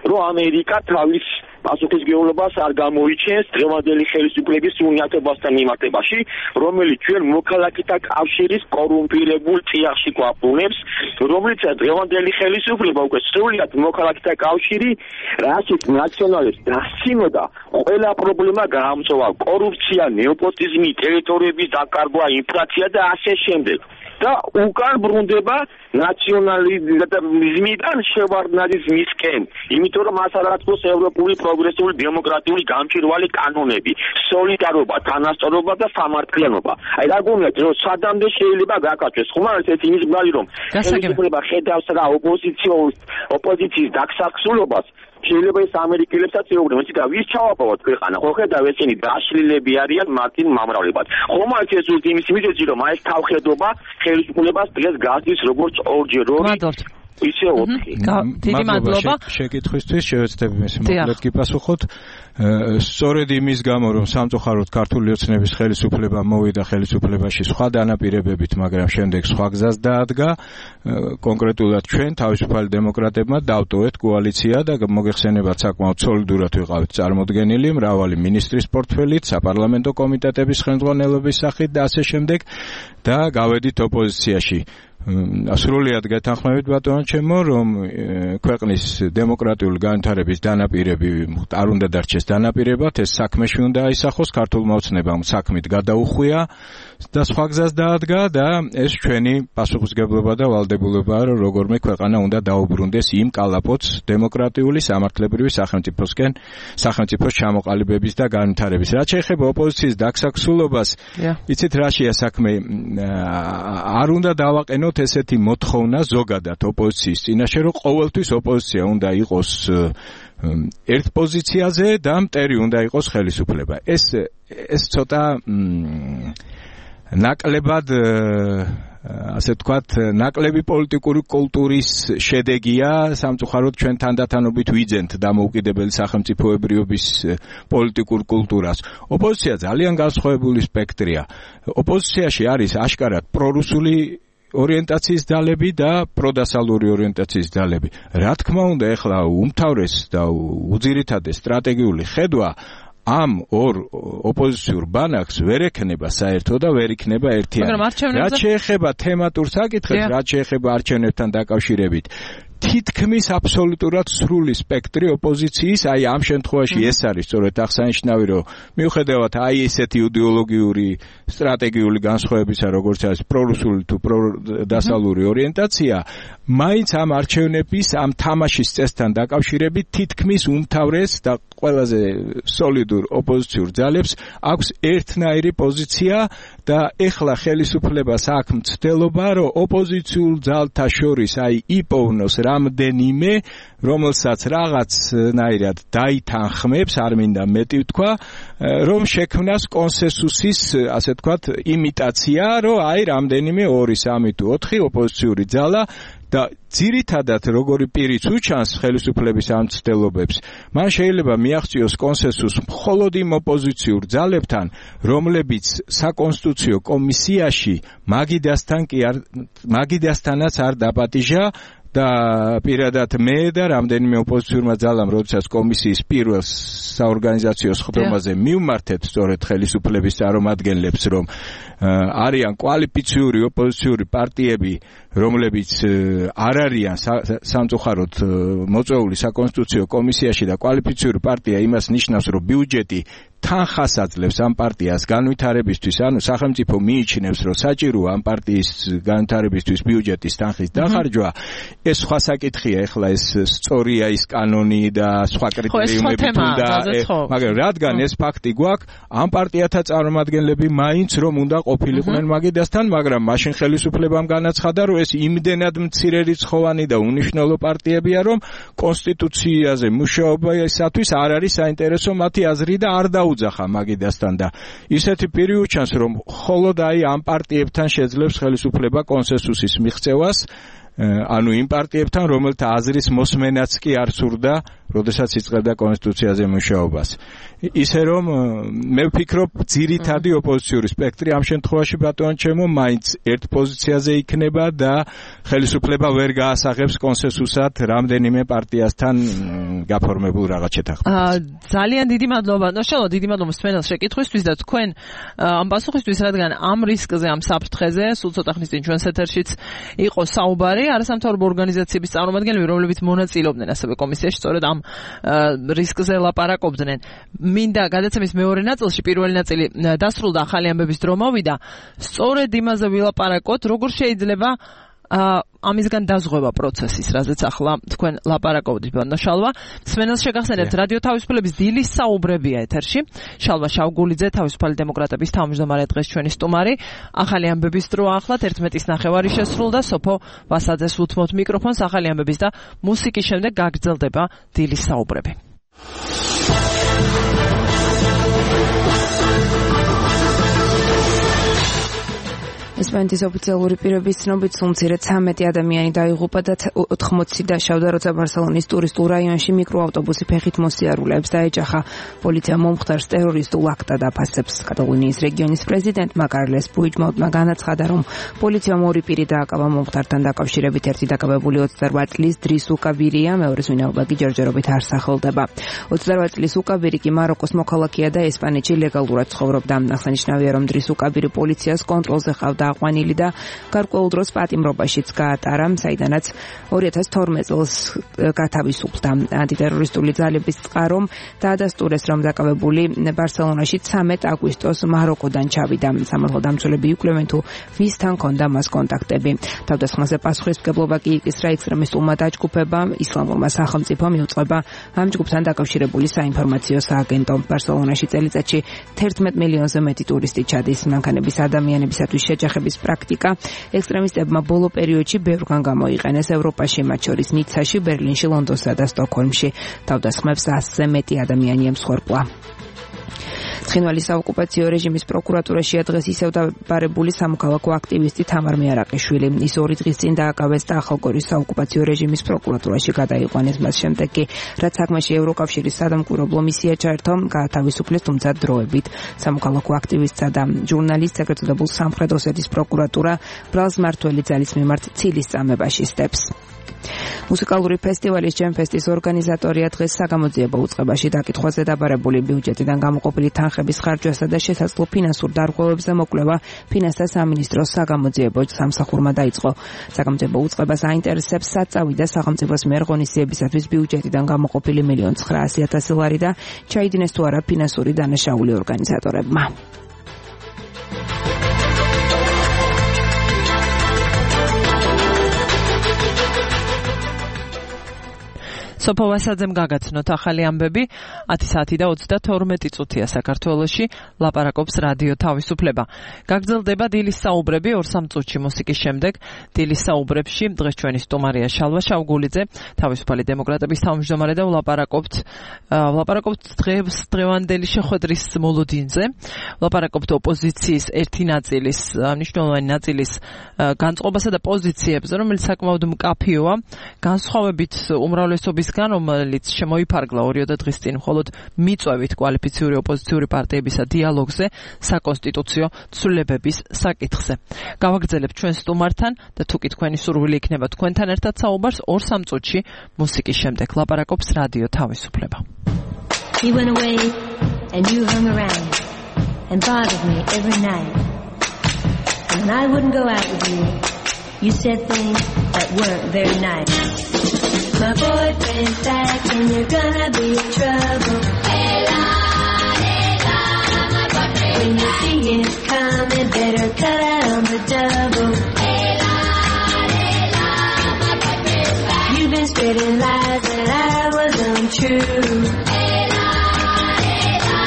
რომ ამერიკა თავის პასუხისმგებლობას არ გამოიჩენს დღევანდელი ხელისუფლების უნიათობასთან მიმართებაში, რომელიც ჩვენ მოქალაქეთა კავშირის კორუმპირებულ წიაღში გვაბრუნებს, რომელიც დღევანდელი ხელისუფლება უკვე სრულად მოქალაქეთა კავშირი, რასაც ნაციონალებს დასცინოდა, ყველა პრობლემა გაამწვავა, კორუფცია, ნეოპოტიზმი, ტერიტორიების დაკარგვა, ინფლაცია და ასე შემდეგ. და უკან ბრუნდება ნაციონალიზმიდან შევარდნაძის მისკენ, იმიტომ რომ მას არ აწყვეს ევროპული პროგრესიული დემოკრატიული გამჭვირვალე კანონები, სოლიდარობა, თანასწორობა და სამართლიანობა. აი რა გონიათ, რომ სადამდე შეიძლება გაკეთდეს, ხომ არის ეს იმის ბარი, რომ ხელისუფლება ხედავს რა ოპოზიციის ოპოზიციის დაქსახსულობას, შეიძლება ეს ამერიკელებსაც ეუბნებიან, იცით რა, ვის ჩავაპოვოთ ქვეყანა, ხო ხედავ ესენი დაშლილები არიან მარტინ მომრავლებად. ხომ არის ეს იმის მიზეზი, რომ აი ეს თავხედობა ხელისუფლებას დღეს გასდის როგორც ორჯერ ორი ისე ოთხი. დიდი მადლობა შეკითხვისთვის, შევეცდები მის მოკლედ გიპასუხოთ. სწორედ იმის გამო, რომ სამწუხაროდ ქართული ოცნების ხელისუფლება მოვიდა ხელისუფლებაში სხვა დანაპირებებით, მაგრამ შემდეგ სხვა გზას დაადგა, კონკრეტულად ჩვენ თავისუფალი დემოკრატებმა დავტოვეთ კოალიცია და მოგეხსენებათ საკმაოდ სოლიდურად ვიყავით წარმოდგენილი, მრავალი მინისტრის პორტფელით, საპარლამენტო კომიტეტების ხელმძღვანელობის სახით და ასე შემდეგ და გავედით ოპოზიციაში. სრულიად გეთანხმებით ბატონო ჩემო, რომ ქვეყნის დემოკრატიული განვითარების დანაპირები არ უნდა დარჩეს დანაპირებად, ეს საქმეში უნდა აისახოს, ქართულმა ოცნებამ საქმით გადაუხვია და სხვა გზას დაადგა და ეს ჩვენი პასუხისმგებლობა და ვალდებულება, რომ როგორმე ქვეყანა უნდა დაუბრუნდეს იმ კალაპოტს დემოკრატიული სამართლებრივი სახელმწიფოსკენ, სახელმწიფოს ჩამოყალიბების და განვითარების. რაც შეეხება ოპოზიციის დაქსახსულობას, იცით რაშია საქმე, არ უნდა დავაყენოთ ესეთი მოთხოვნა ზოგადად ოპოზიციის წინაშე, რომ ყოველთვის ოპოზიცია უნდა იყოს ერთ პოზიციაზე და მტერი უნდა იყოს ხელისუფლება. ეს ეს ცოტა ნაკლებად ასე ვთქვათ, ნაკლები პოლიტიკური კულტურის შედეგია, სამწუხაროდ ჩვენ თანდათანობით ვიძენთ დამოუკიდებელი სახელმწიფოებრიობის პოლიტიკურ კულტურას. ოპოზიცია ძალიან განსხვავებული სპექტრია. ოპოზიციაში არის აშკარად პრორუსული ორიენტაციის ძალები და პროდასალური ორიენტაციის ძალები. რა თქმა უნდა, ეხლა უმთავრეს და უძირითადი სტრატეგიული ხედვა ამ ორ ოპოზიციურ ბანაკს ვერ ექნება საერთო და ვერ იქნება ერთიანი. რაც შეეხება თემატურ საკითხებს, რაც შეეხება არჩევნებთან დაკავშირებით, თითქმის აბსოლუტურად სრული სპექტრი ოპოზიციის, აი ამ შემთხვევაში ეს არის სწორედ აღსანიშნავი, რომ მიუხედავად აი ესეთი იდეოლოგიური სტრატეგიული განსხვავებისა, როგორც არის პრორუსული თუ პროდასალური ორიენტაცია, მაინც ამ არჩევნების, ამ თამაშის წესთან დაკავშირებით თითქმის უმთავრეს და ყველაზე სოლიდურ ოპოზიციურ ძალებს აქვს ერთნაირი პოზიცია და ეხლა ხელისუფლებას აქვს მცდელობა, რომ ოპოზიციურ ძალთა შორის აი იპოვნოს რამდენიმე, რომელსაც რაღაცნაირად დაითანხმებს, არ მინდა მეტი ვთქვა, რომ შექმნას კონსენსუსის, ასე ვთქვათ, იმიტაცია, რომ აი რამდენიმე ორი, სამი თუ ოთხი ოპოზიციური ძალა და ძირითადად როგორი პირიც უჩანს ხელისუფლების ამ მცდელობებს, მან შეიძლება მიაღწიოს კონსენსუს მხოლოდ იმ ოპოზიციურ ძალებთან, რომლებიც საკონსტიტუციო კომისიაში მაგიდასთან კი არ მაგიდასთანაც არ დაპატიჟა და პირადად მე და რამდენიმე ოპოზიციურმა ძალამ, როდესაც კომისიის პირველ საორგანიზაციო სხდომაზე მივმართეთ სწორედ ხელისუფლების წარმომადგენლებს, რომ არიან კვალიფიციური ოპოზიციური პარტიები, რომლებიც არ არიან სამწუხაროდ მოწვეული საკონსტიტუციო კომისიაში და კვალიფიციური პარტია იმას ნიშნავს, რომ ბიუჯეტი თანხას აძლევს ამ პარტიას განვითარებისთვის, ანუ სახელმწიფო მიიჩნევს, რომ საჭიროა ამ პარტიის განვითარებისთვის ბიუჯეტის თანხის დახარჯვა. ეს სხვა საკითხია, ეხლა ეს სწორია ის კანონი და სხვა კრიტერიუმები თუნდა, მაგრამ რადგან ეს ფაქტი გვაქვს, ამ პარტიათა წარმომადგენლები მაინც რომ უნდა ყოფილიყვნენ მაგიდასთან, მაგრამ მაშინ ხელისუფლებამ განაცხადა, რომ ეს იმდენად მცირე რიცხოვანი და უნიშნელო პარტიებია, რომ კონსტიტუციაზე მუშაობისათვის არ არის საინტერესო მათი აზრი და არ დაუძახა მაგიდასთან და ისეთი პირი უჩანს, რომ მხოლოდ აი ამ პარტიებთან შეძლებს ხელისუფლება კონსენსუსის მიღწევას, ანუ იმ პარტიებთან, რომელთა აზრის მოსმენაც კი არ სურდა, როდესაც იწყებდა კონსტიტუციაზე მუშაობას. ისე რომ მე ვფიქრობ, ძირითადი ოპოზიციური სპექტრი ამ შემთხვევაში ბატონო ჩემო მაინც ერთ პოზიციაზე იქნება და ხელისუფლება ვერ გაასაღებს კონსენსუსად რამდენიმე პარტიასთან გაფორმებულ რაღაც შეთანხმებას. ძალიან დიდი მადლობა. ნაშალო, დიდი მადლობა მსმენელს შეკითხვისთვის და თქვენ ამ პასუხისთვის, რადგან ამ რისკზე, ამ საფრთხეზე, სულ ცოტა ხნის წინ ჩვენს ეთერშიც იყო საუბარი, არასამთავრობო ორგანიზაციების წარმომადგენლები, რომლებიც მონაწილეობდნენ ასევე კომისიაში, სწორედ ამ რისკზე ლაპარაკობდნენ. მინდა გადაცემის მეორე ნაწილში, პირველი ნაწილი დასრულდა, ახალი ამბების დრო მოვიდა, სწორედ იმაზე ვილაპარაკოთ, როგორ შეიძლება ამისგან დაზღვევა პროცესის, რაზეც ახლა თქვენ ლაპარაკობთ ბანდა შალვა. სმენელს შეგახსენებთ რადიო თავისუფლების დილის საუბრებია ეთერში. შალვა შავგულიძე, თავისუფალი დემოკრატების თავმჯდომარე დღეს ჩვენი სტუმარი. ახალი ამბების დრო ახლად ერთმეტის ნახევარი შესრულდა. სოფო ვასაძეს უთმობთ მიკროფონს. ახალი ამბების და მუსიკის შემდეგ გაგრძელდება დილის საუბრები. ესპანეთის ოფიციალური პირების ცნობით სულ ცხრამეტი ადამიანი დაიღუპა და ოთხმოცი დაშავდა, როცა ბარსელონის ტურისტულ რაიონში მიკროავტობუსი ფეხით მოსიარულეებს დაეჯახა. პოლიცია მომხდარს ტერორისტულ აქტად აფასებს. კატალონიის რეგიონის პრეზიდენტმა კარლეს პუიჯმონტმა განაცხადა, რომ პოლიციამ ორი პირი დააკავა მომხდართან დაკავშირებით. ერთი დაკავებული ოცდაორ წლის დრის უკაბირია, მეორეს ვინაობა კი ჯერჯერობით არ სახელდება. ოცდაორ წლის უკაბირი კი მაროკოს მოქალაქეა და ესპანეთში ლეგალურად ცხოვრობდა. აღსანიშნავია, რომ დრის უკაბირი პოლიციას კონტროლზე ყავდა აყვანილი და გარკვეულ დროს პატიმრობაშიც გაატარა, საიდანაც ორი ათას თორმეტ წელს გათავისუფლდა. ანტიტერორისტული ძალების წყარომ დაადასტურეს, რომ დაკავებული ბარსელონაში ცამეტ აგვისტოს მაროკოდან ჩავიდა. სამართალდამცველები იკვლევენ, თუ ვისთან ჰქონდა მას კონტაქტები. თავდასხმაზე პასუხისმგებლობა კი იკისრა ექსტრემისტულმა დაჯგუფებამ. ისლამურმა სახელმწიფომ იუწყება ამ ჯგუფთან დაკავშირებული საინფორმაციო სააგენტო. ბარსელონაში წელიწადში თერთმეტ მილიონზე მეტი ტურისტი ჩადის. მანქანების ადამიანებისათვის შეჯახების პრაქტიკა ექსტრემისტებმა ბოლო პერიოდში ბევრგან გამოიყენეს ევროპაში, მათ შორის ნიცაში, ბერლინში, ლონდონსა და სტოკჰოლმში. თავდასხმებს ასზე მეტი ადამიანი ემსხვერპლა. ცხინვალის საოკუპაციო რეჟიმის პროკურატურაშია დღეს ისევ დაბარებული სამოქალაქო აქტივისტი თამარ მეარაყიშვილი. ის ორი დღის წინ დააკავეს და ახალგორის საოკუპაციო რეჟიმის პროკურატურაში გადაიყვანეს. მას შემდეგ კი, რაც საქმეში ევროკავშირის სადამკვირვებლო მისია ჩაერთო, გაათავისუფლეს, თუმცა დროებით. სამოქალაქო აქტივისტსა და ჟურნალისტს ეგრეთ წოდებულ სამხრეთ ოსეთის პროკურატურა ბრალს მმართველი ძალის მიმართ ცილის წამებაში სტებს. მუსიკალური ფესტივალის ჯემფესტის ორგანიზატორია დღეს საგამოძიებო უწყებაში დაკითხვაზე დაბარებული ბიუჯეტიდან გამოყოფილი თანხების ხარჯვასა და შესაძლო ფინანსურ დარღვევებზე მოკვლევა ფინანსთა სამინისტროს საგამოძიებო სამსახურმა დაიწყო. საგამოძიებო უწყებას აინტერესებს საწავი და სახელმწიფოს მიერ ღონისძიებისათვის ბიუჯეტიდან გამოყოფილი მილიონ ცხრაასი ათასი ლარი და ჩაიდინეს თუ არა ფინანსური დანაშაული ორგანიზატორებმა. სოფო ვასაძემ გაგაცნოთ ახალი ამბები. ათი საათი და ოცდათორმეტი წუთია საქართველოში. ლაპარაკობს რადიო თავისუფლება. გაგრძელდება დილის საუბრები ორ სამ წუთში მუსიკის შემდეგ. დილის საუბრებში დღეს ჩვენი სტუმარია შალვა შავგულიძე, თავისუფალი დემოკრატების თავმჯდომარე და ვლაპარაკობთ ვლაპარაკობთ დღეს დღევანდელი შეხვედრის მოლოდინზე. ვლაპარაკობთ ოპოზიციის ერთი ნაწილის, მნიშვნელოვანი ნაწილის განწყობასა და პოზიციებზე, რომელიც საკმაოდ მკაფიოა. განსხვავებით უმრავლესობის რომელიც შემოიფარგლა ორი დღის წინ მხოლოდ მიწვევით კვალიფიციური ოპოზიციური პარტიებისა დიალოგზე საკონსტიტუციო ცვლილებების საკითხზე. გავაგრძელებთ ჩვენ სტუმართან და თუ კი თქვენი სურვილი იქნება თქვენთან ერთად საუბარს ორ სამ წუთში მუსიკის შემდეგ. ლაპარაკობს რადიო თავისუფლება. You went away and you hung around and bothered me every night. And when I wouldn't go out with you, you said things that weren't very nice. My boyfriend's back and you're gonna be in trouble. Hey la, hey la, my boyfriend. When you see him coming, better cut out on the double. Hey la, hey la, my boyfriend's back. You've been spreading lies that I was untrue. Hey la, hey la,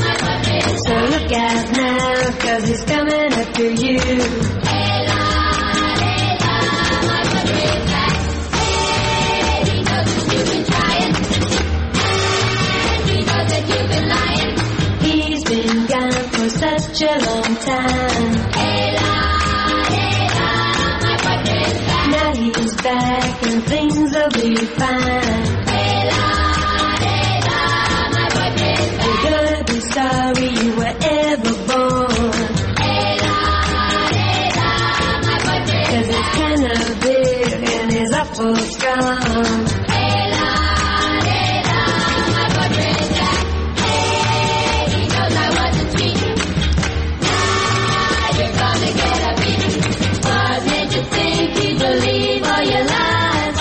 my boyfriend. So look out now, 'cause he's coming after you. Hey la, hey la, my boyfriend's back. You've been trying, and he knows that you've been lying. He's been gone for such a long time. Hey la, hey la, my boyfriend's back. Now he's back and things will be fine. Hey la, hey la, my boyfriend's back. You're gonna be sorry you were ever born. Hey la, hey la, my boyfriend's back. 'Cause he's kinda big and he's awful strong. Believe all your lies.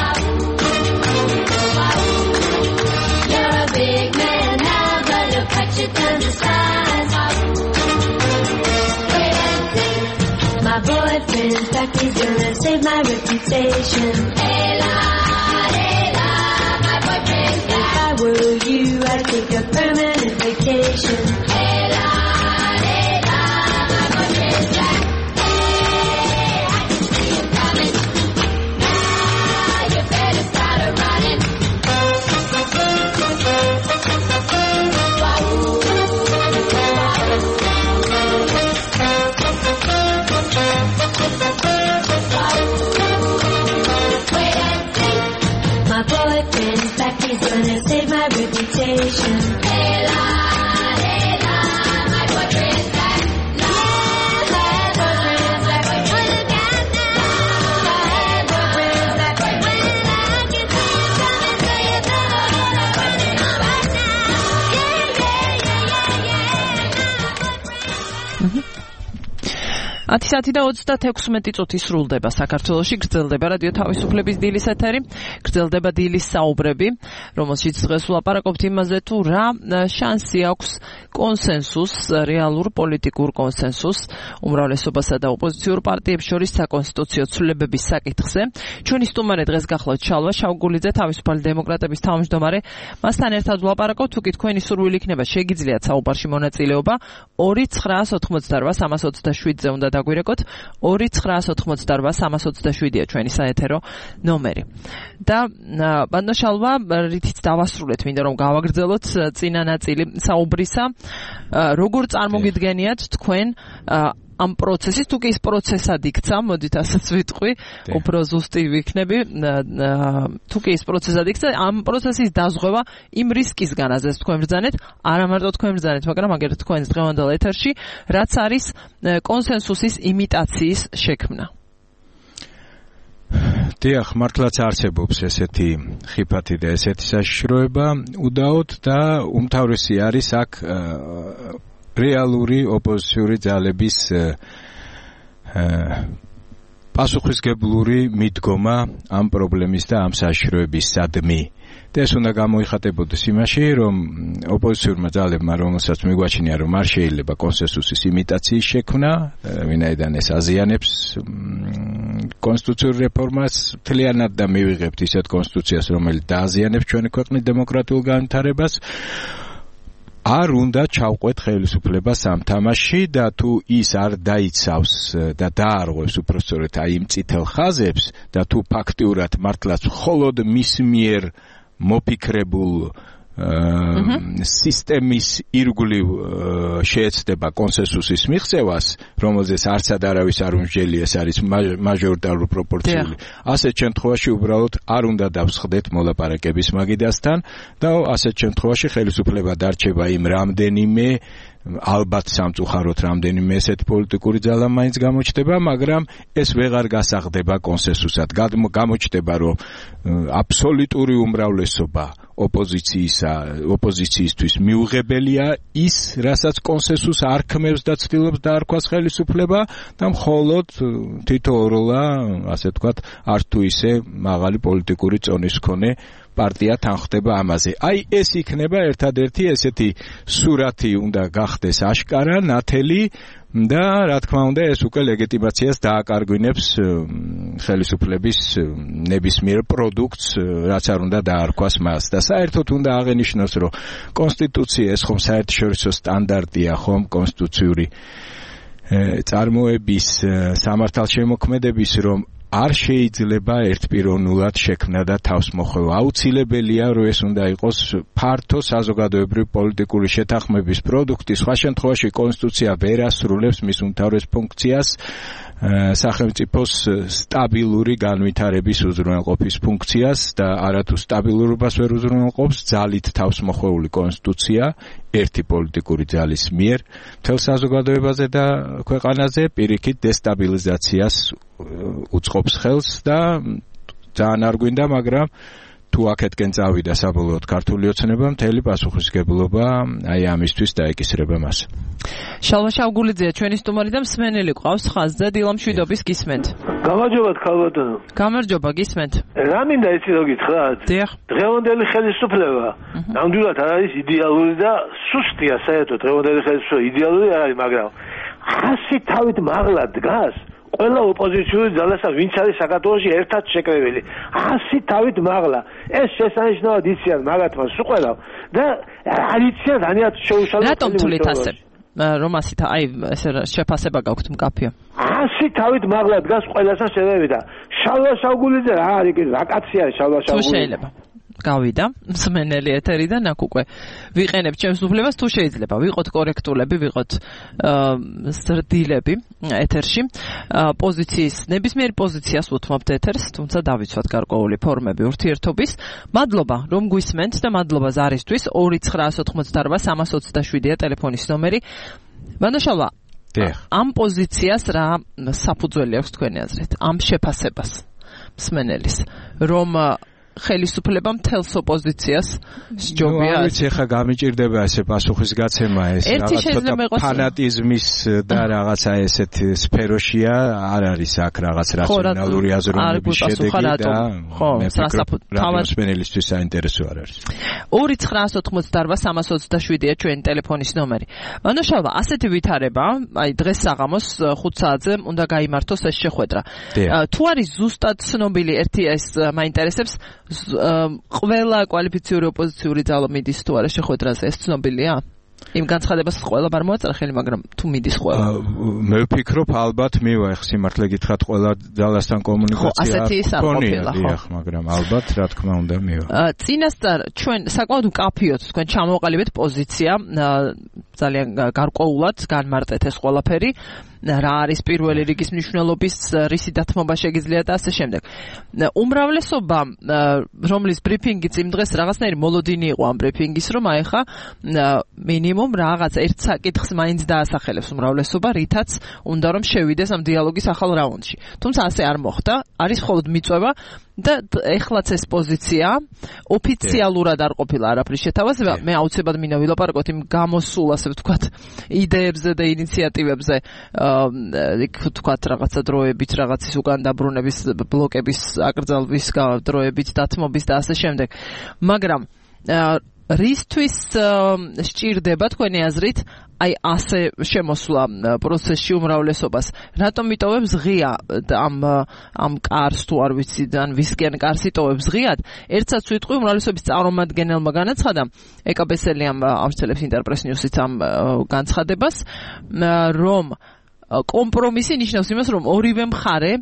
boyfriend's back, he's gonna save my reputation. Ella, Ella, my boyfriend's back. If I were you, I'd take a permanent vacation. Ella, Ella, my boyfriend's back. Hey, I can see him coming. Now you better start a running. My boyfriend's back, he's gonna save my reputation. Ella, Ella, my boyfriend's back. La, la, boyfriend's back. Look out now. My boyfriend's back. When I can see you coming, so you better get running on right now. Yeah, yeah, yeah, yeah, yeah. Mhm. ათი საათი და ოცდაექვსმეტი წუთი სრულდება საქართველოში, გრძელდება რადიო თავისუფლების დილის ეთერი, გრძელდება დილის საუბრები, რომელშიც დღეს ვლაპარაკობთ იმაზე, თუ რა შანსი აქვს კონსენსუსს, რეალურ პოლიტიკურ კონსენსუსს უმრავლესობასა და ოპოზიციურ პარტიებს შორის საკონსტიტუციო ცვლილებების საკითხზე. ჩვენი სტუმარი დღეს გახლავთ შალვა შავგულიძე, თავისუფალი დემოკრატების თავმჯდომარე. მასთან ერთად ვლაპარაკობთ, თუ კი თქვენი სურვილი იქნება, შეგიძლიათ საუბარში მონაწილეობა ორი ცხრაას ოცდაოთხმოცდარბა სამას ოცდაშვიდზე უნდა დაგვირეკოთ. ორი ცხრაას ოცდაოთხმოცდარბა სამას ოცდაშვიდია ჩვენი საეთერო ნომერი. და ბანდო შალვა, რითიც დავასრულეთ, მინდა რომ გავაგრძელოთ წინა ნაწილი საუბრისა. როგორ წარმოგიდგენიათ თქვენ ამ პროცესის, თუ კი ის პროცესად იქცა, მოდით ასეც ვიტყვი, უფრო ზუსტი ვიქნები, თუ კი ის პროცესად იქცა, ამ პროცესის დაზღვევა იმ რისკისგან აზრს თქვენ ბრძანეთ, არა მარტო თქვენ ბრძანეთ, მაგრამ აგერ თქვენს დღევანდელ ეთერში, რაც არის კონსენსუსის იმიტაციის შექმნა. დიახ, მართლაც არსებობს ესეთი ხიფათი და ესეთი საშიშროება, უდაოდ და უმთავრესი არის აქ რეალური ოპოზიციური ძალების პასუხისგებლური მიდგომა ამ პრობლემის და ამ საშიშროების სადმი. და ეს უნდა გამოიხატებოდეს იმაში, რომ ოპოზიციურმა ძალებმა, რომელსაც მიგვაჩნია, რომ არ შეიძლება კონსენსუსის იმიტაციის შექმნა, ვინაიდან ეს აზიანებს კონსტიტუციურ რეფორმას, მთლიანად და მივიღებთ ისეთ კონსტიტუციას, რომელიც დააზიანებს ჩვენი ქვეყნის დემოკრატიულ განვითარებას. არ უნდა ჩავყვეთ ხელისუფლებას ამ თამაშში და თუ ის არ დაიცავს და დაარღვევს უпростоრეთ აი იმ წითელ ხაზებს და თუ ფაქტიურად მართლაც მხოლოდ მის მიერ მოფიქრებულ სისტემის ირგვლივ შეეცდება კონსენსუსის მიღწევას, რომელზეც არცად არავის არ უმსჯელი, ეს არის მაჟორიტარული პროპორციული. ასეთ შემთხვევაში უბრალოდ არ უნდა დავსხდეთ მოლაპარაკების მაგიდასთან და ასეთ შემთხვევაში ხელისუფლება დარჩება იმ რამდენიმე ალბათ სამწუხაროდ რამდენიმე ესეთ პოლიტიკური ძალა მაინც გამოჩნდება, მაგრამ ეს ვეღარ გასაღდება კონსენსუსად. გამოჩნდება, რომ აბსოლუტური უმრავლესობა ოპოზიციისა, ოპოზიციისთვის მიუღებელია ის, რასაც კონსენსუსს არ ქმევს და ცდილობს დაარქვას ხელისუფლება და მხოლოდ თითოეულა, ასე ვთქვათ, არ თუ ისე მაღალი პოლიტიკური წონის მქონე პარტია თანხდება ამაზე. აი ეს იქნება ერთადერთი ესეთი სურათი უნდა გახდეს აშკარა, ნათელი და რა თქმა უნდა ეს უკვე ლეგიტიმაციას დააკარგვინებს ხელისუფლების ნებისმიერ პროდუქტს, რაც არ უნდა დაარქვას მას. და საერთოდ უნდა აღენიშნოს, რომ კონსტიტუცია ეს ხომ საერთაშორისო სტანდარტია, ხომ კონსტიტუციური წარმოების სამართალშემოქმედების, რომ არ შეიძლება ერთპიროვნულად შექმნა და თავს მოხვევა. აუცილებელია, რომ ეს უნდა იყოს ფართო საზოგადოებრივი პოლიტიკური შეთანხმების პროდუქტი. სხვა შემთხვევაში კონსტიტუცია ვერ ასრულებს მის უმთავრეს ფუნქციას, სახელმწიფოს სტაბილური განვითარების უზრუნველყოფის ფუნქციას და არათუ სტაბილურობას ვერ უზრუნველყოფს ძალით თავს მოხვეული კონსტიტუცია ერთი პოლიტიკური ძალის მიერ მთელ საზოგადოებაზე და ქვეყანაზე პირიქით დესტაბილიზაციას უწყობს ხელს და ძალიან არ გვინდა, მაგრამ თუ აქეთკენ წავიდა საბოლოოდ ქართული ოცნება, მთელი პასუხისგებლობა აი ამისთვის დაეკისრება მას. შალვა შავგულიძეა ჩვენი სტუმარი და მსმენელი ყავს ხაზზე, დილამშვიდობის გისმენთ. გამარჯობა ქალბატონო. გამარჯობა, გისმენთ. რა მინდა იცი რო გითხრათ? დიახ. დღევანდელი ხელისუფლება ნამდვილად არ არის იდეალური და სუსტია საერთოდ დღევანდელი ხელისუფლება იდეალური არ არის, მაგრამ ხასი თავით მაღლა დგას ყველა ოპოზიციური ძალასა ვინც არის საქართველოში ერთად შეკრებილი ასი თავით მაღლა ეს შესანიშნავად იციან მაგათმა სულ ყველა და არ იციან რანიათ შეუშალო რატომ თვლით ასე რომ ასეთ აი ესე შეფასება გაქვთ მკაფიო ასი თავით მაღლა დგას ყველასთან შედევი და შალვა შავგულიძე რა არის კი რა კაცი არის შალვა შავგულიძე თუ შეიძლება გავიდა მსმენელი ეთერიდან აქ უკვე ვიყენებ ჩემს უფლებას თუ შეიძლება ვიყოთ კორექტულები ვიყოთ ზრდილები ეთერში პოზიციის ნებისმიერ პოზიციას უთმობთ ეთერს თუმცა დავიცვათ გარკვეული ფორმები ურთიერთობის მადლობა რომ გვისმენთ და მადლობა ზარისთვის ორი ცხრა ოთხმოცდაარბა სამას ოცდაშვიდია ტელეფონის ნომერი მანდაშალვა ამ პოზიციას რა საფუძველი აქვს თქვენი აზრით ამ შეფასებას მსმენელის რომ ხელისუფლება მთელს ოპოზიციას სჯობია. ნუ ვიცი ხა გამიჭირდება ესე პასუხის გაცემა ეს რაღაცა ფანატიზმის და რაღაცა ესეთ სფეროშია არ არის აქ რაღაც რაციონალური აზროვნების შედეგი და მე ვფიქრობ რადიოსმენელისთვის საინტერესო არ არის. ორი ცხრა ოთხმოცდაარბა სამას ოცდაშვიდია ჩვენი ტელეფონის ნომერი. მანდაშალვა ასეთი ვითარება, აი დღეს საღამოს ხუთ საათზე უნდა გაიმართოს ეს შეხვედრა. თუ არის ზუსტად ცნობილი ერთი ეს მაინტერესებს ყველა კვალიფიციური ოპოზიციური ძალა მიდის თუ არა შეხვედრაზე ეს ცნობილია? იმ განცხადებას ყველა არ მოაწერა ხელი, მაგრამ თუ მიდის ყველა. მე ვფიქრობ ალბათ მივა ეხ სიმართლე გითხრათ ყველა ძალასთან კომუნიკაცია. ხო, ასეთი ის არ ყოფილა, ხო. მაგრამ ალბათ რა თქმა უნდა მივა. წინასწარ ჩვენ საკმაოდ მკაფიოდ თქვენ ჩამოყალიბეთ პოზიცია ძალიან გარკვეულად განმარტეთ ეს ყველაფერი. რა არის პირველი რიგის მნიშვნელობის რისი დათმობა შეგიძლია და ასე შემდეგ. უმრავლესობა რომლის ბრიფინგიც იმ დღეს რაღაცნაირი მოლოდინი იყო ამ ბრიფინგის რომ აი ხა მინიმუმ რაღაც ერთ საკითხს მაინც დაასახელებს უმრავლესობა რითაც უნდა რომ შევიდეს ამ დიალოგის ახალ რაუნდში. თუმცა ასე არ მოხდა, არის მხოლოდ მიწვევა და ეხლაც ეს პოზიცია ოფიციალურად არ ყოფილა არაფრის შეთავაზება. მე აუცილებლად მინდა ვილაპარაკოთ იმ გამოსულ ასე ვთქვათ იდეებზე და ინიციატივებზე იქ ვთქვათ რაღაცა დროებით რაღაცის უკან დაბრუნების ბლოკების აკრძალვის დროებით დათმობის და ასე შემდეგ. მაგრამ რისთვის სჭირდება თქვენი აზრით აი ასე შემოსვლა პროცესში უმრავლესობას? რატომ იტოვებს ღია ამ ამ კარს თუ არ ვიცი ან ვისკენ კარს იტოვებს ღიად? ერთსაც ვიტყვი უმრავლესობის წარმომადგენელმა განაცხადა ეკაბესელიამ ამცელებს ინტერპრეს ნიუსიც ამ განცხადებას რომ კომპრომისი ნიშნავს იმას, რომ ორივე მხარე,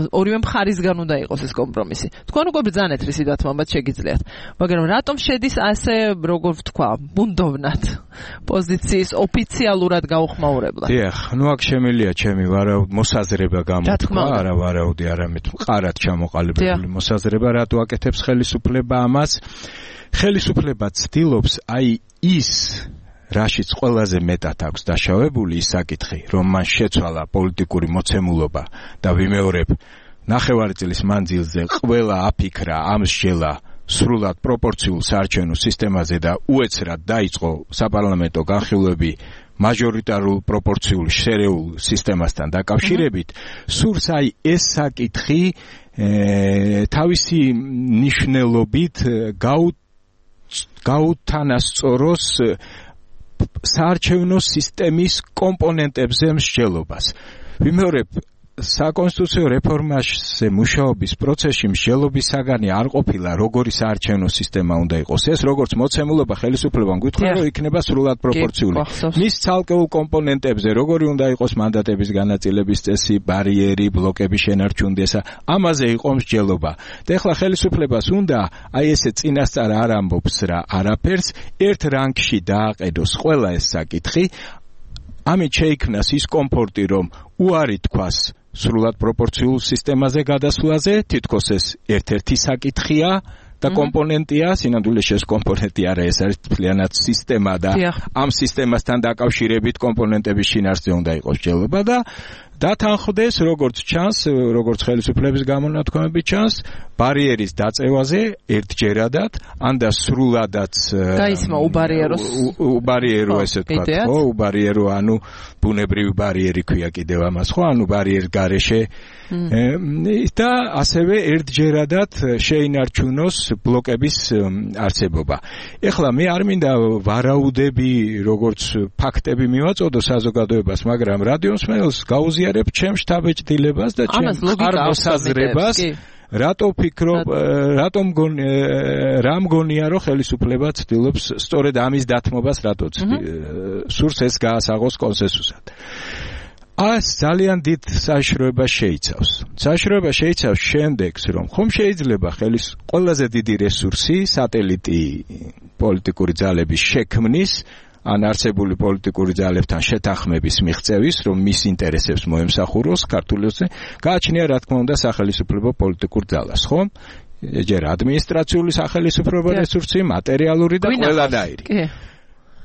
ორივე მხარისგან უნდა იყოს ეს კომპრომისი. თქვენ უკვე ბრძანეთ რისი დათმობაც შეგიძლიათ. მაგრამ რატომ შედის ასე, როგორ ვთქვა, ბუნდოვნად პოზიციის ოფიციალურად გაუხმაურებლად? დიახ, ნუ აქ შემილია ჩემი ვარა მოსაზრება გამოთქვა, არა ვარაუდი, არამედ მყარად ჩამოყალიბებული მოსაზრება, რატო აკეთებს ხელისუფლება ამას? ხელისუფლება ცდილობს აი ის რაშიც ყველაზე მეტად აქვს დაშავებული ის საკითხი, რომ მან შეცვალა პოლიტიკური მოცემულობა და ვიმეორებ, ნახევარი წლის მანძილზე ყველა აფიქრა ამსჯელა სრულად პროპორციულ საარჩევნო სისტემაზე და უეცრად დაიწყო საპარლამენტო განხილვები მაჟორიტარულ პროპორციულ შერეულ სისტემასთან დაკავშირებით, სურს აი ეს საკითხი თავისი ნიშნულობით გაუთანასწოროს საარჩევნო სისტემის კომპონენტებზე მსჯელობას. ვიმეორებ, საკონსტიტუციო რეფორმაზე მუშაობის პროცესში მსჯელობის საგანი არ ყოფილა, როგორი საარჩევნო სისტემა უნდა იყოს. ეს როგორც მოცემულობა ხელისუფლებამ გითხრა, რომ იქნება სრულად პროპორციული. მის ცალკეულ კომპონენტებზე, როგორი უნდა იყოს მანდატების განაწილების წესი, ბარიერი, ბლოკების შენარჩუნდესა, ამაზე იყო მსჯელობა. და ეხლა ხელისუფლებას უნდა აი ესე წინასწარ არ ამბობს რა არაფერს, ერთ რანგში დააყედოს ყველა ეს საკითხი. ამით შეიქმნას ის კომფორტი, რომ უარი თქვას სრულად პროპორციულ სისტემაზე გადასვლაზე, თითქოს ეს ერთ-ერთი საკითხია და კომპონენტია, სინამდვილეში ეს კომპონენტი არა, ეს არის მთლიანად სისტემა და ამ სისტემასთან დაკავშირებით კომპონენტების შინაარსზე უნდა იყოს მსჯელობა და დათანხმდეს, როგორც ჩანს, როგორც ხელისუფლების გამონათქვამები ჩანს, ბარიერის დაწევაზე ერთჯერადად, ან და სრულადაც გაისმა უბარიეროს უბარიერო ესე თქვა, ხო, უბარიერო, ანუ ბუნებრივი ბარიერი ქვია კიდევ ამას, ხო, ანუ ბარიერის გარეშე და ასევე ერთჯერადად შეინარჩუნოს ბლოკების არსებობა. ეხლა მე არ მინდა ვარაუდები, როგორც ფაქტები მივაწოდო საზოგადოებას, მაგრამ რადიომსმენელს გაუზია აღიზიარებ ჩემს შთაბეჭდილებას და ჩემს მოსაზრებას რატო ფიქრობ რატო მგონი რა მგონია რომ ხელისუფლება ცდილობს სწორედ ამის დათმობას რატო სურს ეს გაასაღოს კონსენსუსად ას ძალიან დიდ საშიშროებას შეიცავს. საშიშროება შეიცავს შემდეგს, რომ ხომ შეიძლება ხელის ყველაზე დიდი რესურსი სატელიტი პოლიტიკური ძალების შექმნის ან არსებული პოლიტიკური ძალებთან შეთანხმების მიღწევის, რომ მის ინტერესებს მოემსახუროს ქართულიზე, გააჩნია რა თქმა უნდა სახელისუფლებო პოლიტიკურ ძალას, ხო? ჯერ ადმინისტრაციული სახელისუფლებო რესურსი, მატერიალური და ყველანაირი.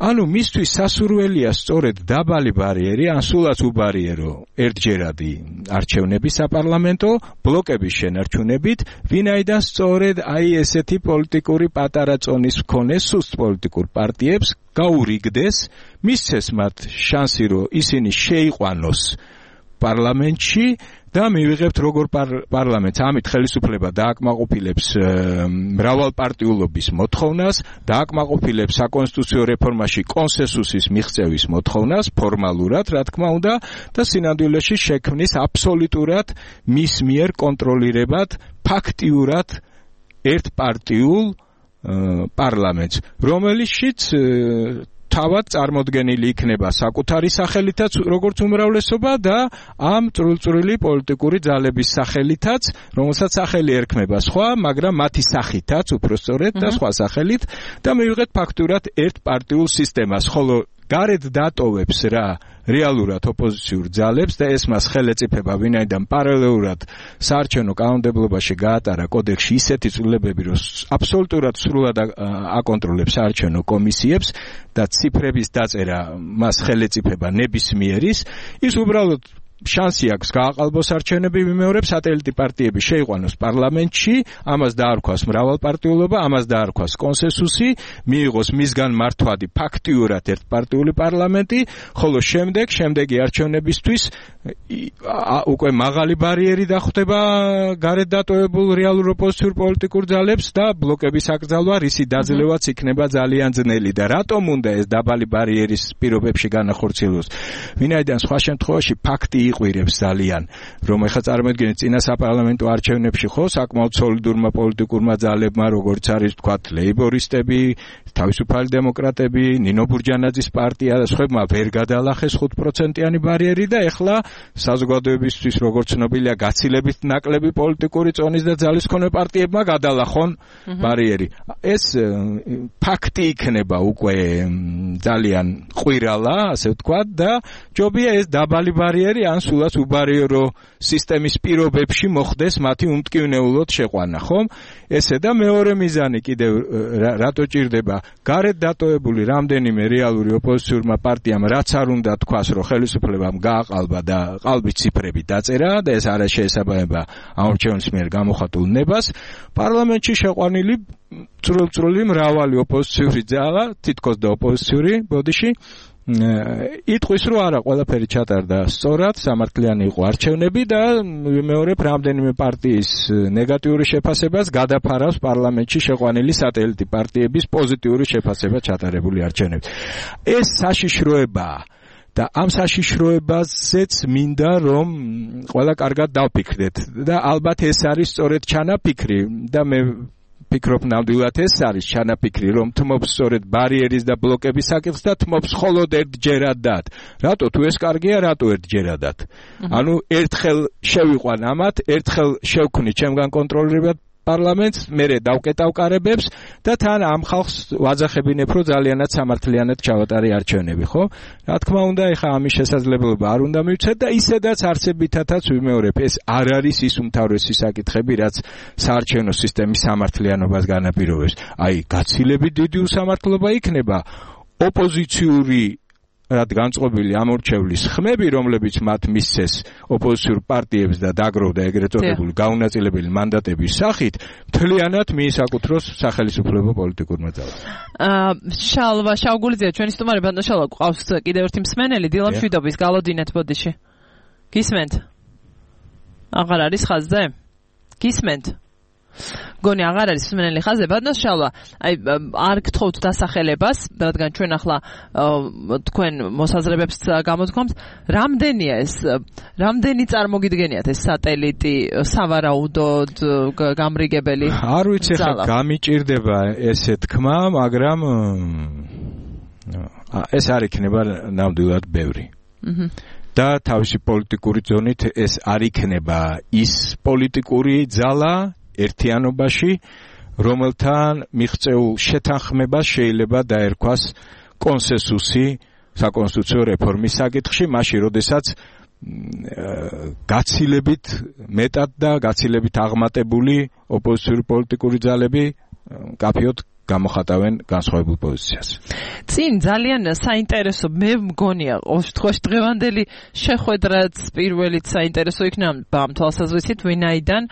ანუ მისთვის სასურველია სწორედ დაბალი ბარიერი, ან სულაც უბარიერო ერთჯერადი არჩევნები საპარლამენტო, ბლოკების შენარჩუნებით, ვინაიდან სწორედ აი ესეთი პოლიტიკური პატარა წონის მქონე სუსტ პოლიტიკურ პარტიებს გაურიგდეს, მისცეს მათ შანსი, რომ ისინი შეიყვანოს პარლამენტში და მივიღებთ როგორ პარლამენტს ამით ხელისუფლება დააკმაყოფილებს მრავალპარტიულობის მოთხოვნას, დააკმაყოფილებს საკონსტიტუციო რეფორმაში კონსენსუსის მიღწევის მოთხოვნას ფორმალურად, რა თქმა უნდა, და სინამდვილეში შექმნის აბსოლუტურად მის მიერ კონტროლირებად ფაქტიურად ერთპარტიულ პარლამენტს, რომელშიც თავად წარმოდგენილი იქნება საკუთარი სახელითაც როგორც უმრავლესობა და ამ წრილწრილი პოლიტიკური ძალების სახელითაც, რომელსაც სახელი ერქმება სხვა, მაგრამ მათი სახითაც უпростоრეთ და სხვა სახელით და მივიღეთ ფაქტურად ერთპარტიულ სისტემას, ხოლო გარეთ დატოვებს რა რეალურად ოპოზიციურ ძალებს და ეს მას ხელეწიფება ვინაიდან პარალელურად საარჩევნო კანონმდებლობაში გაატარა კოდექსში ისეთი ცვლილებები, რომ აბსოლუტურად სრულად აკონტროლებს საარჩევნო კომისიებს და ციფრების დაწერა მას ხელეწიფება ნებისმიერის, ის უბრალოდ შანსი აქვს გააყალბოს არჩევნები ვიმეორებ სატელიტი პარტიები შეიყვანოს პარლამენტში, ამას დაარქვას მრავალპარტიულობა, ამას დაარქვას კონსენსუსი, მიიღოს მისგან მართვადი ფაქტიურად ერთპარტიული პარლამენტი, ხოლო შემდეგ შემდეგი არჩევნებისთვის უკვე მაღალი ბარიერი დახვდება გარეთ დატოვებულ რეალურ ოპოზიციურ პოლიტიკურ ძალებს და ბლოკების აკრძალვა, რისი დაძლევაც იქნება ძალიან ძნელი და რატომ უნდა ეს დაბალი ბარიერის პირობებში განახორციელოს? ვინაიდან სხვა შემთხვევაში ფაქტი იყვირებს ძალიან, რომ ეხლა წარმოიდგინეთ წინა საპარლამენტო არჩევნებში ხო საკმაოდ სოლიდურმა პოლიტიკურმა ძალებმა, როგორც არის თქვათ ლეიბორისტები, თავისუფალი დემოკრატები, ნინო ბურჯანაძის პარტია და სხვებმა ვერ გადალახეს ხუთ პროცენტიანი ბარიერი და ეხლა საზოგადოებისთვის როგორც ცნობილია გაცილებით ნაკლები პოლიტიკური წონის და ძალის მქონე პარტიებმა გადალახონ ბარიერი. ეს ფაქტი იქნება უკვე ძალიან ყვირალა, ასე ვთქვათ და ჯობია ეს დაბალი ბარიერი ან სულაც უბარიერო სისტემის პირობებში მოხდეს მათი უმტკივნეულოდ შეყვანა, ხომ? ესე და მეორე მიზანი კიდევ რატო ჭირდება გარეთ დატოვებული რამდენიმე რეალური ოპოზიციურმა პარტიამ რაც არ უნდა თქვას, რომ ხელისუფლებამ გააყალბა და ყალბის ციფრები დაწერა და ეს არ შეესაბამება ამორჩევნის მიერ გამოხატულ ნებას, პარლამენტში შეყვანილი წრილწრილი მრავალი ოპოზიციური ძალა, თითქოს და ოპოზიციური ბოდიში იტყვის, რომ არა, ყველაფერი ჩატარდა სწორად, სამართლიანი იყო არჩევნები და ვიმეორებ რამდენიმე პარტიის ნეგატიური შეფასებას გადაფარავს პარლამენტში შეყვანილი სატელიტი პარტიების პოზიტიური შეფასება ჩატარებული არჩევნებით. ეს საშიშროებაა და ამ საშიშროებაზეც მინდა რომ ყველა კარგად დავფიქრდეთ და ალბათ ეს არის სწორედ ჩანაფიქრი და მე ფიქრობ ნამდვილად ეს არის ჩანაფიქრი, რომ თმობს სწორედ ბარიერის და ბლოკების საკითხს და თმობს მხოლოდ ერთჯერადად. რატო თუ ეს კარგია, რატო ერთჯერადად? ანუ ერთხელ შევიყვან ამათ, ერთხელ შევქმნი ჩემგან კონტროლირებად პარლამენტს, მერე დავკეტავკარებებს და თან ამ ხალხს ვაძახებინებ, რომ ძალიანად სამართლიანად ჩავატარე არჩევნები, ხო? რა თქმა უნდა, ეხა ამის შესაძლებლობა არ უნდა მივცეთ და ისედაც არსებითათაც ვიმეორებ, ეს არ არის ის უმთავრესი საკითხები, რაც საარჩევნო სისტემის სამართლიანობას განაპირობებს. აი, გაცილებით დიდი უსამართლობა იქნება ოპოზიციური რაც განწყობილი ამორჩევლის ხმები, რომლებიც მათ მისცეს ოპოზიციურ პარტიებს და დაგროვდა ეგრეთ წოდებული გაუნაწილებელი მანდატების სახით, მთლიანად მიისაკუთროს სახელისუფლებო პოლიტიკურმა ძალამ. აა შალვა შავგულიძე, ჩვენი სტუმარი ბატონ შალვა, ყავს კიდევ ერთი მსმენელი, დილა მშვიდობის, გალოდინეთ ბოდიში. გისმენთ? აღარ არის ხაზზე? გისმენთ? მგონი აღარ არის მსმენელი ხაზზე, ბატონო შალვა, აი არ გთხოვთ დასახელებას, რადგან ჩვენ ახლა თქვენ მოსაზრებებს გამოთქვამთ, რამდენია ეს, რამდენი წარმოგიდგენიათ ეს სატელიტი სავარაუდოდ გამრიგებელი? არ ვიცი ხა გამიჭირდება ესე თქმა, მაგრამ ეს არ იქნება ნამდვილად ბევრი. და თავისი პოლიტიკური ზონით ეს არ იქნება ის პოლიტიკური ძალა ერთიანობაში, რომელთან მიღწეულ შეთანხმებას შეიძლება დაერქვას კონსენსუსი საკონსტიტუციო რეფორმის საკითხში, მაშინ როდესაც გაცილებით მეტად და გაცილებით აღმატებული ოპოზიციური პოლიტიკური ძალები კაფეოდ გამოხატავენ განსხვავებულ პოზიციას. წინ ძალიან საინტერესო მე მგონია, ოშთხოვში დღევანდელი შეხვედრაც პირველით საინტერესო იქნება ამ თვალსაზრისით, ვინაიდან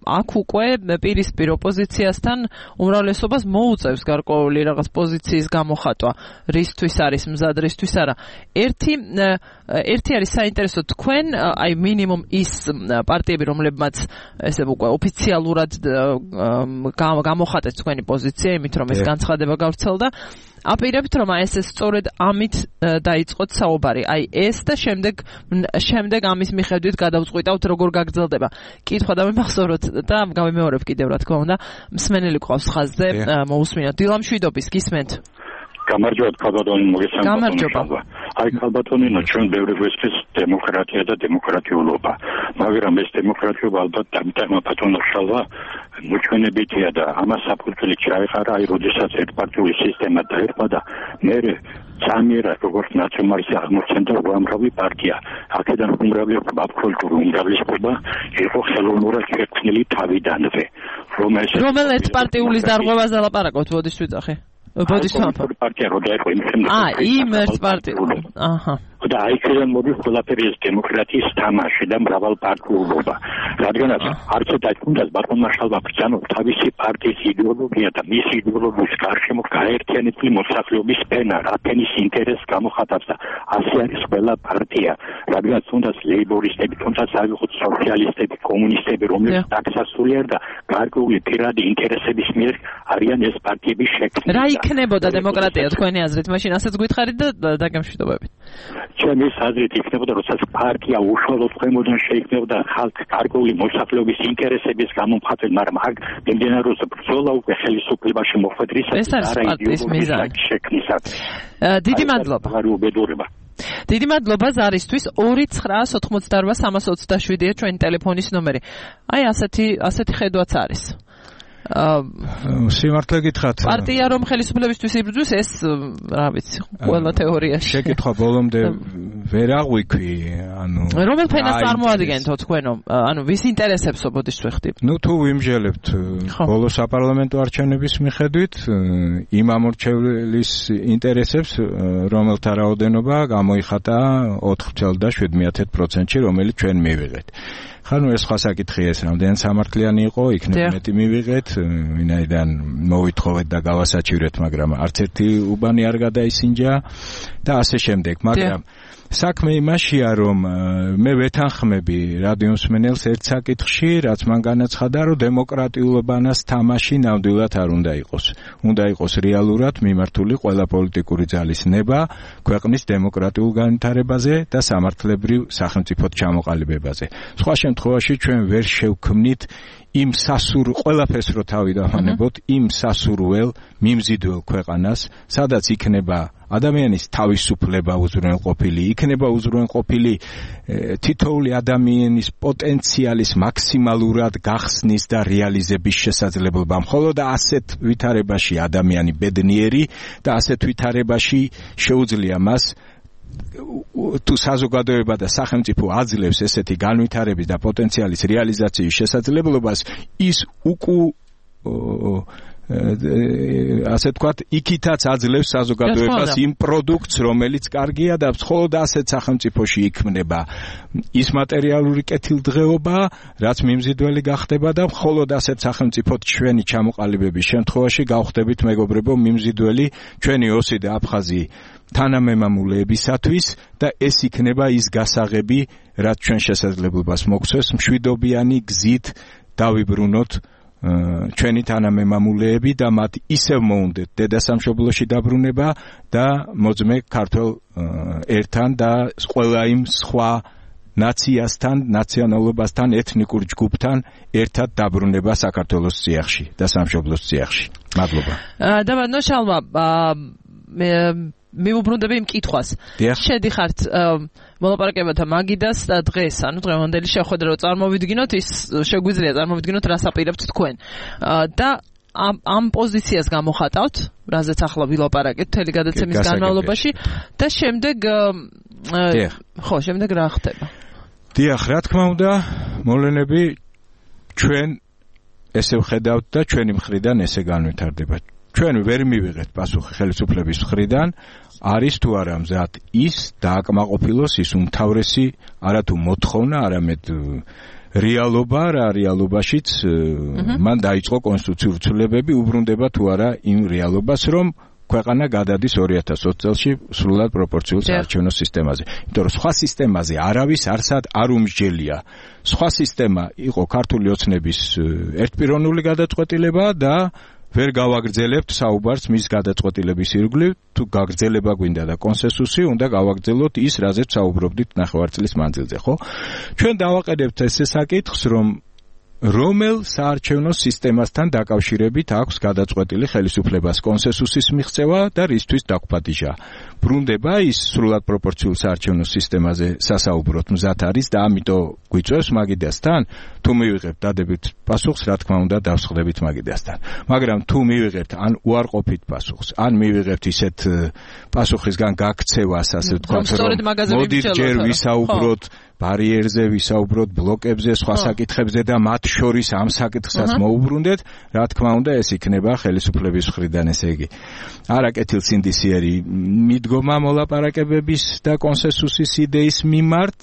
აქ უკვე პირისპირ ოპოზიციასთან უმრავლესობას მოუწევს გარკვეული რაღაც პოზიციის გამოხატვა, რისთვის არის მზად, რისთვის არა. ერთი ერთი არის საინტერესო თქვენ, აი მინიმუმ ის პარტიები, რომლებმაც ესე უკვე ოფიციალურად გამოხატეთ თქვენი პოზიცია, იმით რომ ეს განცხადება გავრცელდა, აპირებთ რომ ეს სწორედ ამით დაიწყოთ საუბარი. აი ეს და შემდეგ შემდეგ ამის მიხედვით გადავწყვიტავთ როგორ გაგრძელდება. კითხვა და მიმახსოვროთ და გავიმეორებ კიდევ რა თქმა უნდა, მსმენელი ყავს ხაზზე, მოусმინოთ. დილა მშვიდობის, გისმენთ? გამარჯობა ქალბატონი, მოგესალმებით. აი ქალბატონიო, ჩვენ ბევრი გვესწრებს დემოკრატია და დემოკრატიულობა, მაგრამ ეს დემოკრატიულობა ალბათ დამიტანა ბატონოშალვა მოჩვენებითია და ამას საფუძველი ჩაეხარა, აი როდესაც ერთპარტიული სისტემა დაერქვა და მე სამიერად როგორც ნაციონალისტი აღმოცენდა უამრავი პარტია. აქედან უმრავლესობა აბსოლუტური უმრავლესობა იყო ხელოვნურად შექმნილი თავიდანვე. რომელიც პარტიულის დარღვევაზე ლაპარაკობთ, ბოდიშ ვიძახი. ბოდიშ ვამბობ. პარტია რო დაერქვა იმ შემდეგ. აა, იმ ერთ პარტიულ. აჰა. და აიქიდან მოდის ყველაფერი ეს დემოკრატიის თამაში და მრავალპარტიულობა. რადგანაც არც დაიწყუნდა ბატონმა შალვა ბრძანო თავისი პარტიის იდეოლოგია და მისი იდეოლოგიის გარშემო გაერთიანებული მოსახლეობის ფენა, რა ფენის ინტერესს გამოხატავს და ასე არის ყველა პარტია. რადგანაც თუნდაც ლეიბორისტები, თუნდაც ავიღოთ სოციალისტები, კომუნისტები, რომლებიც დაქსასულია და გარკვეული პირადი ინტერესების მიერ არიან ეს პარტიები შექმნილი. რა იქნებოდა დემოკრატია თქვენი აზრით? მაშინ ასეც გითხარით და დაგემშვიდობებით. ჩემი აზრით იქნებოდა, როდესაც პარტია უშუალოდ ქვემოდან შეიქმნებოდა ხალხის გარკვეული მოსახლეობის ინტერესების გამომხატველი, მაგრამ აქ მიმდინარეობს ბრძოლა უკვე ხელისუფლებაში მოხვედრისას და არა იდეოლოგიის შექმნისას. დიდი მადლობა. დიდი მადლობა ზარისთვის. ორი ცხრაას ოთხმოცდაორვა სამას ოცდაშვიდია ჩვენი ტელეფონის ნომერი. აი ასეთი ასეთი ხედვაც არის. სიმართლე გითხრათ, პარტია რომ ხელისუფლებისთვის იბრძვის, ეს რა ვიცი, ყველა თეორიაში. შეკითხვა ბოლომდე ვერ აღვიქვი, ანუ რომელ ფენას წარმოადგენთო თქვენო, ანუ ვის ინტერესებსო ბოდიშ ვეხდი? ნუ თუ ვიმჟელებთ ბოლო საპარლამენტო არჩევნების მიხედვით იმ ამორჩევლის ინტერესებს, რომელთა რაოდენობა გამოიხატა ოთხ ოცდაოთხ და შვიდ პროცენტში, რომელიც ჩვენ მივიღეთ. ხანუ ეს სხვა საკითხია, ეს რამდენი სამართლიანი იყო, იქნებ მეტი მივიღეთ, ვინაიდან მოვითხოვეთ და გავასაჩივრეთ, მაგრამ არც ერთი უბანი არ გადაისინჯა და ასე შემდეგ, მაგრამ საქმე იმაშია, რომ მე ვეთანხმები რადიო მსმენელს ერთ საკითხში, რაც მან განაცხადა, რომ დემოკრატიულობანას თამაში ნამდვილად არ უნდა იყოს. უნდა იყოს რეალურად მიმართული ყველა პოლიტიკური ძალის ნება ქვეყნის დემოკრატიულ განვითარებაზე და სამართლებრივ სახელმწიფოდ ჩამოყალიბებაზე. სხვა შემთხვევაში ჩვენ ვერ შევქმნით იმ სასურ ყველაფერს რო თავი დავანებოთ, იმ სასურველ მიმზიდველ ქვეყანას, სადაც იქნება ადამიანის თავისუფლება უზრუნველყოფილი, იქნება უზრუნველყოფილი თითოეული ადამიანის პოტენციალის მაქსიმალურად გახსნის და რეალიზების შესაძლებლობა. მხოლოდ ასეთ ვითარებაში ადამიანი ბედნიერი და ასეთ ვითარებაში შეუძლია მას თუ საზოგადოება და სახელმწიფო აძლევს ესეთი განვითარების და პოტენციალის რეალიზაციის შესაძლებლობას, ის უკუ ასე თქვათ, იქითაც აძლევს საზოგადოებას იმ პროდუქტს, რომელიც კარგია და მხოლოდ ასეთ სახელმწიფოში იქმნება ის მატერიალური კეთილდღეობა, რაც მიმზიდველი გახდება და მხოლოდ ასეთ სახელმწიფოდ ჩვენი ჩამოყალიბების შემთხვევაში გავხდებით მეგობრებო მიმზიდველი ჩვენი ოსი და აფხაზი თანამემამულეებისათვის და ეს იქნება ის გასაღები, რაც ჩვენ შესაძლებლობას მოგცეს მშვიდობიანი გზით დავიბრუნოთ ჩვენი თანამემამულეები და მათ ისევ მოუნდეთ დედასამშობლოში დაბრუნება და მოძმე ქართველ ერთან და ყველა იმ სხვა ნაციასთან, ნაციონალობასთან, ეთნიკურ ჯგუფთან ერთად დაბრუნება საქართველოს წიაღში და სამშობლოს წიაღში. მადლობა. და ნოშალმა მე მიუბრუნდები იმ კითხვას. შედიხართ მოლაპარაკებათა მაგიდას და დღეს, ანუ დღევანდელი შეხვედრა რომ წარმოვიდგინოთ, ის შეგვიძლია წარმოვიდგინოთ, რას აპირებთ თქვენ. და ამ ამ პოზიციას გამოხატავთ, რაზეც ახლა ვილაპარაკეთ მთელი გადაცემის განმავლობაში და შემდეგ ხო, შემდეგ რა ხდება? დიახ, რა თქმა უნდა, მოვლენები ჩვენ ესე ვხედავთ და ჩვენი მხრიდან ესე განვითარდება. ჩვენ ვერ მივიღეთ პასუხი ხელისუფლების მხრიდან, არის თუ არა მზად ის დააკმაყოფილოს ის უმთავრესი არათუ მოთხოვნა, არამედ რეალობა, რა რეალობაშიც მან დაიწყო კონსტიტუციური ცვლილებები, უბრუნდება თუ არა იმ რეალობას, რომ ქვეყანა გადადის ორი ათას ოცი წელში სრულად პროპორციულ საარჩევნო სისტემაზე. იმიტომ რომ სხვა სისტემაზე არავის არსად არ უმსჯელია. სხვა სისტემა იყო ქართული ოცნების ერთპიროვნული გადაწყვეტილება და ვერ გავაგრძელებთ საუბარს მის გადაწყვეტილების ირგვლივ, თუ გაგრძელება გვინდა და კონსენსუსი, უნდა გავაგრძელოთ ის, რაზეც საუბრობდით ნახევარწლის მანძილზე, ხო? ჩვენ დავაყენებთ ესე საკითხს, რომ რომელ საარჩევნო სისტემასთან დაკავშირებით აქვს გადაწყვეტილი ხელისუფლებას კონსენსუსის მიღწევა და რისთვის დაგვპატიჟა. ბრუნდება ის სრულად პროპორციულ საარჩევნო სისტემაზე სასაუბროთ მზად არის და ამიტომ გვიწევს მაგიდასთან, თუ მივიღებთ დადებით პასუხს, რა თქმა უნდა დავსხდებით მაგიდასთან. მაგრამ თუ მივიღებთ ან უარყოფით პასუხს, ან მივიღებთ ისეთ პასუხისგან გაქცევას, ასე ვთქვათ, რომ მოდით ჯერ ვისაუბროთ ბარიერზე, ვისაუბროთ ბლოკებზე, სხვა საკითხებზე და მათ შორის ამ საკითხსაც მოუბრუნდეთ, რა თქმა უნდა ეს იქნება ხელისუფლების მხრიდან, ესე იგი არაკეთილსინდისიერი მიდგომა მოლაპარაკებების და კონსენსუსის იდეის მიმართ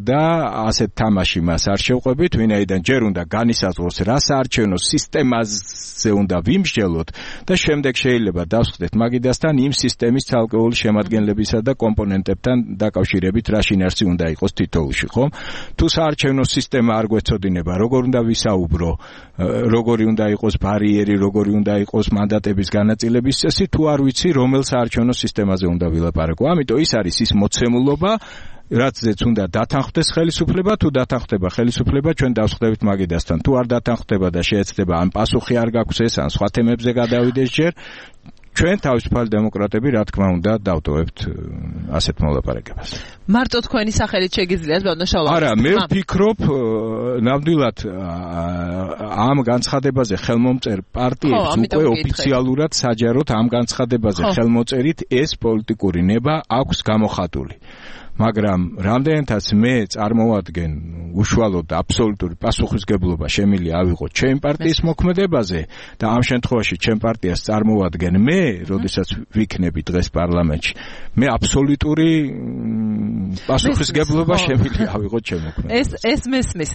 და ასეთ თამაში მას არ შევყვებით, ვინაიდან ჯერ უნდა განისაზღვროს რა საარჩევნო სისტემაზე უნდა ვიმსჯელოთ და შემდეგ შეიძლება დავსხდეთ მაგიდასთან იმ სისტემის ცალკეული შემადგენლებისა და კომპონენტებთან დაკავშირებით რა შინაარსი უნდა იყოს თითოეულში. ხომ? თუ საარჩევნო სისტემა არ გვეცოდინება, როგორ უნდა ვისაუბრო, როგორი უნდა იყოს ბარიერი, როგორი უნდა იყოს მანდატების განაწილების წესი, თუ არ ვიცი, რომელ საარჩევნო სისტემაზე უნდა ვილაპარაკო. ამიტომ ის არის ის მოცემულობა, რაცაც უნდა დათანხმდეს ხელისუფლება, თუ დათანხმდება ხელისუფლება, ჩვენ დავსხდებით მაგიდასთან. თუ არ დათანხმდება და შეეცდება, ან პასუხი არ გაქვს ეს, ან სხვა თემებზე გადავიდეს ჯერ, ჩვენ თავისუფალი დემოკრატები, რა თქმა უნდა, დავტოვებთ ასეთ მოლაპარაკებას. მარტო თქვენი სახელით შეგიძლიათ, ბატონო შალვა? არა, მე ვფიქრობ, ნამდვილად ამ განცხადებაზე ხელმომწერ პარტიებს უკვე ოფიციალურად საჯაროდ ამ განცხადებაზე ხელმოწერით ეს პოლიტიკური ნება აქვს გამოხატული. მაგრამ რამდენადაც მე წარმოვადგენ უშუალოდ და აბსოლუტური პასუხისგებლობა შემიძლია ავიღოთ ჩემი პარტიის მოქმედებაზე და ამ შემთხვევაში ჩემ პარტიას წარმოვადგენ მე, როდესაც ვიქნები დღეს პარლამენტში, მე აბსოლუტური პასუხისგებლობა შემიძლია ავიღოთ ჩემ მოქმედებაზე. ეს ეს მესმის.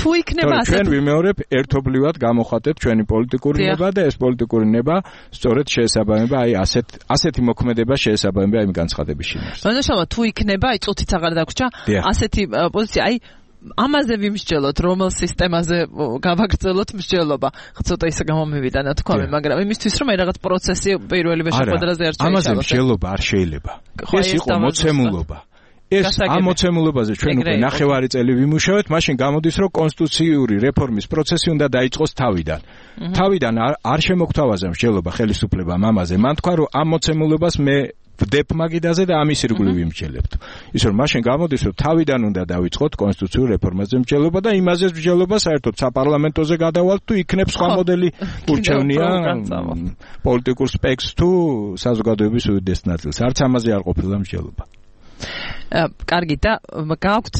თუ იქნება ასე, ჩვენ ვიმეორებ ერთობლივად გამოხატებთ ჩვენი პოლიტიკური ნება და ეს პოლიტიკური ნება სწორედ შეესაბამება აი ასეთ ასეთი მოქმედება შეესაბამება იმ განცხადების შინაარსს. ბატონო, თუ იქნება წუთიც აღარ დაგვრჩა ასეთი პოზიცია, აი ამაზე ვიმსჯელოთ, რომელ სისტემაზე გავაგრძელოთ მსჯელობა. ცოტა ისე გამომივიდა ნათქვამი, მაგრამ იმისთვის რომ აი რაღაც პროცესი პირველივე შეხვედრაზე არ შეეჩალოს. ამაზე მსჯელობა არ შეიძლება. ეს იყო მოცემულობა. ეს ამ მოცემულობაზე ჩვენ უკვე ნახევარი წელი ვიმუშავეთ, მაშინ გამოდის, რომ კონსტიტუციური რეფორმის პროცესი უნდა დაიწყოს თავიდან. თავიდან არ შემოგთავაზა მსჯელობა ხელისუფლებამ ამაზე. მან თქვა, რომ ამ მოცემულობას მე ვდებ მაგიდაზე და ამის ირგვლივ ვიმსჯელებთ. ის რომ მაშინ გამოდის, რომ თავიდან უნდა დავიწყოთ კონსტიტუციურ რეფორმაზე მსჯელობა და იმაზე მსჯელობა საერთოდ საპარლამენტოზე გადავალთ, თუ იქნებ სხვა მოდელი ურჩევნია პოლიტიკურ სპექტრს თუ საზოგადოების უდიდეს ნაწილს. არც ამაზე არ ყოფილა მსჯელობა. კარგი, და გაქვთ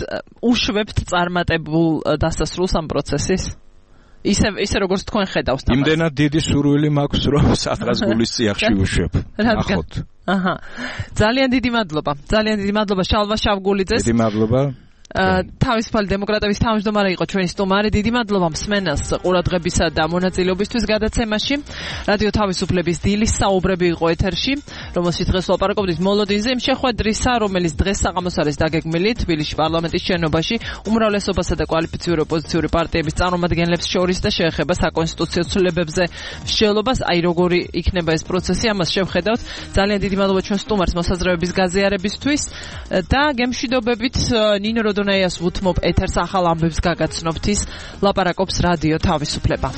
უშვებთ წარმატებულ დასასრულს ამ პროცესის? ისე ისე როგორც თქვენ ხედავთ. იმდენად დიდი სურვილი მაქვს, რომ სადღაც გულის წიაღში უშვებ. ნახოთ. აჰა. ძალიან დიდი მადლობა. ძალიან დიდი მადლობა შალვა შავგულიძეს. დიდი მადლობა. თავისუფალი დემოკრატების თავმჯდომარე იყო ჩვენი სტუმარი. დიდი მადლობა მსმენელს ყურადღებისა და მონაწილეობისთვის გადაცემაში. რადიო თავისუფლების დილის საუბრები იყო ეთერში, რომელშიც დღეს ვლაპარაკობდით მოლოდინზე, იმ შეხვედრისა, რომელიც დღეს საღამოს არის დაგეგმილი თბილისში პარლამენტის შენობაში უმრავლესობასა და კვალიფიციური ოპოზიციური პარტიების წარმომადგენლებს შორის და შეეხება საკონსტიტუციო ცვლილებებზე მსჯელობას. აი როგორი იქნება ეს პროცესი, ამას შევხედავთ. ძალიან დიდი მადლობა ჩვენ სტუმარს მოსაზრებების გაზიარებისთვის და გემშვიდობებით ნინო როდონაიას ვუთმობ ეთერს ახალ ამბებს გაგაცნობთ ის ლაპარაკობს რადიო თავისუფლება.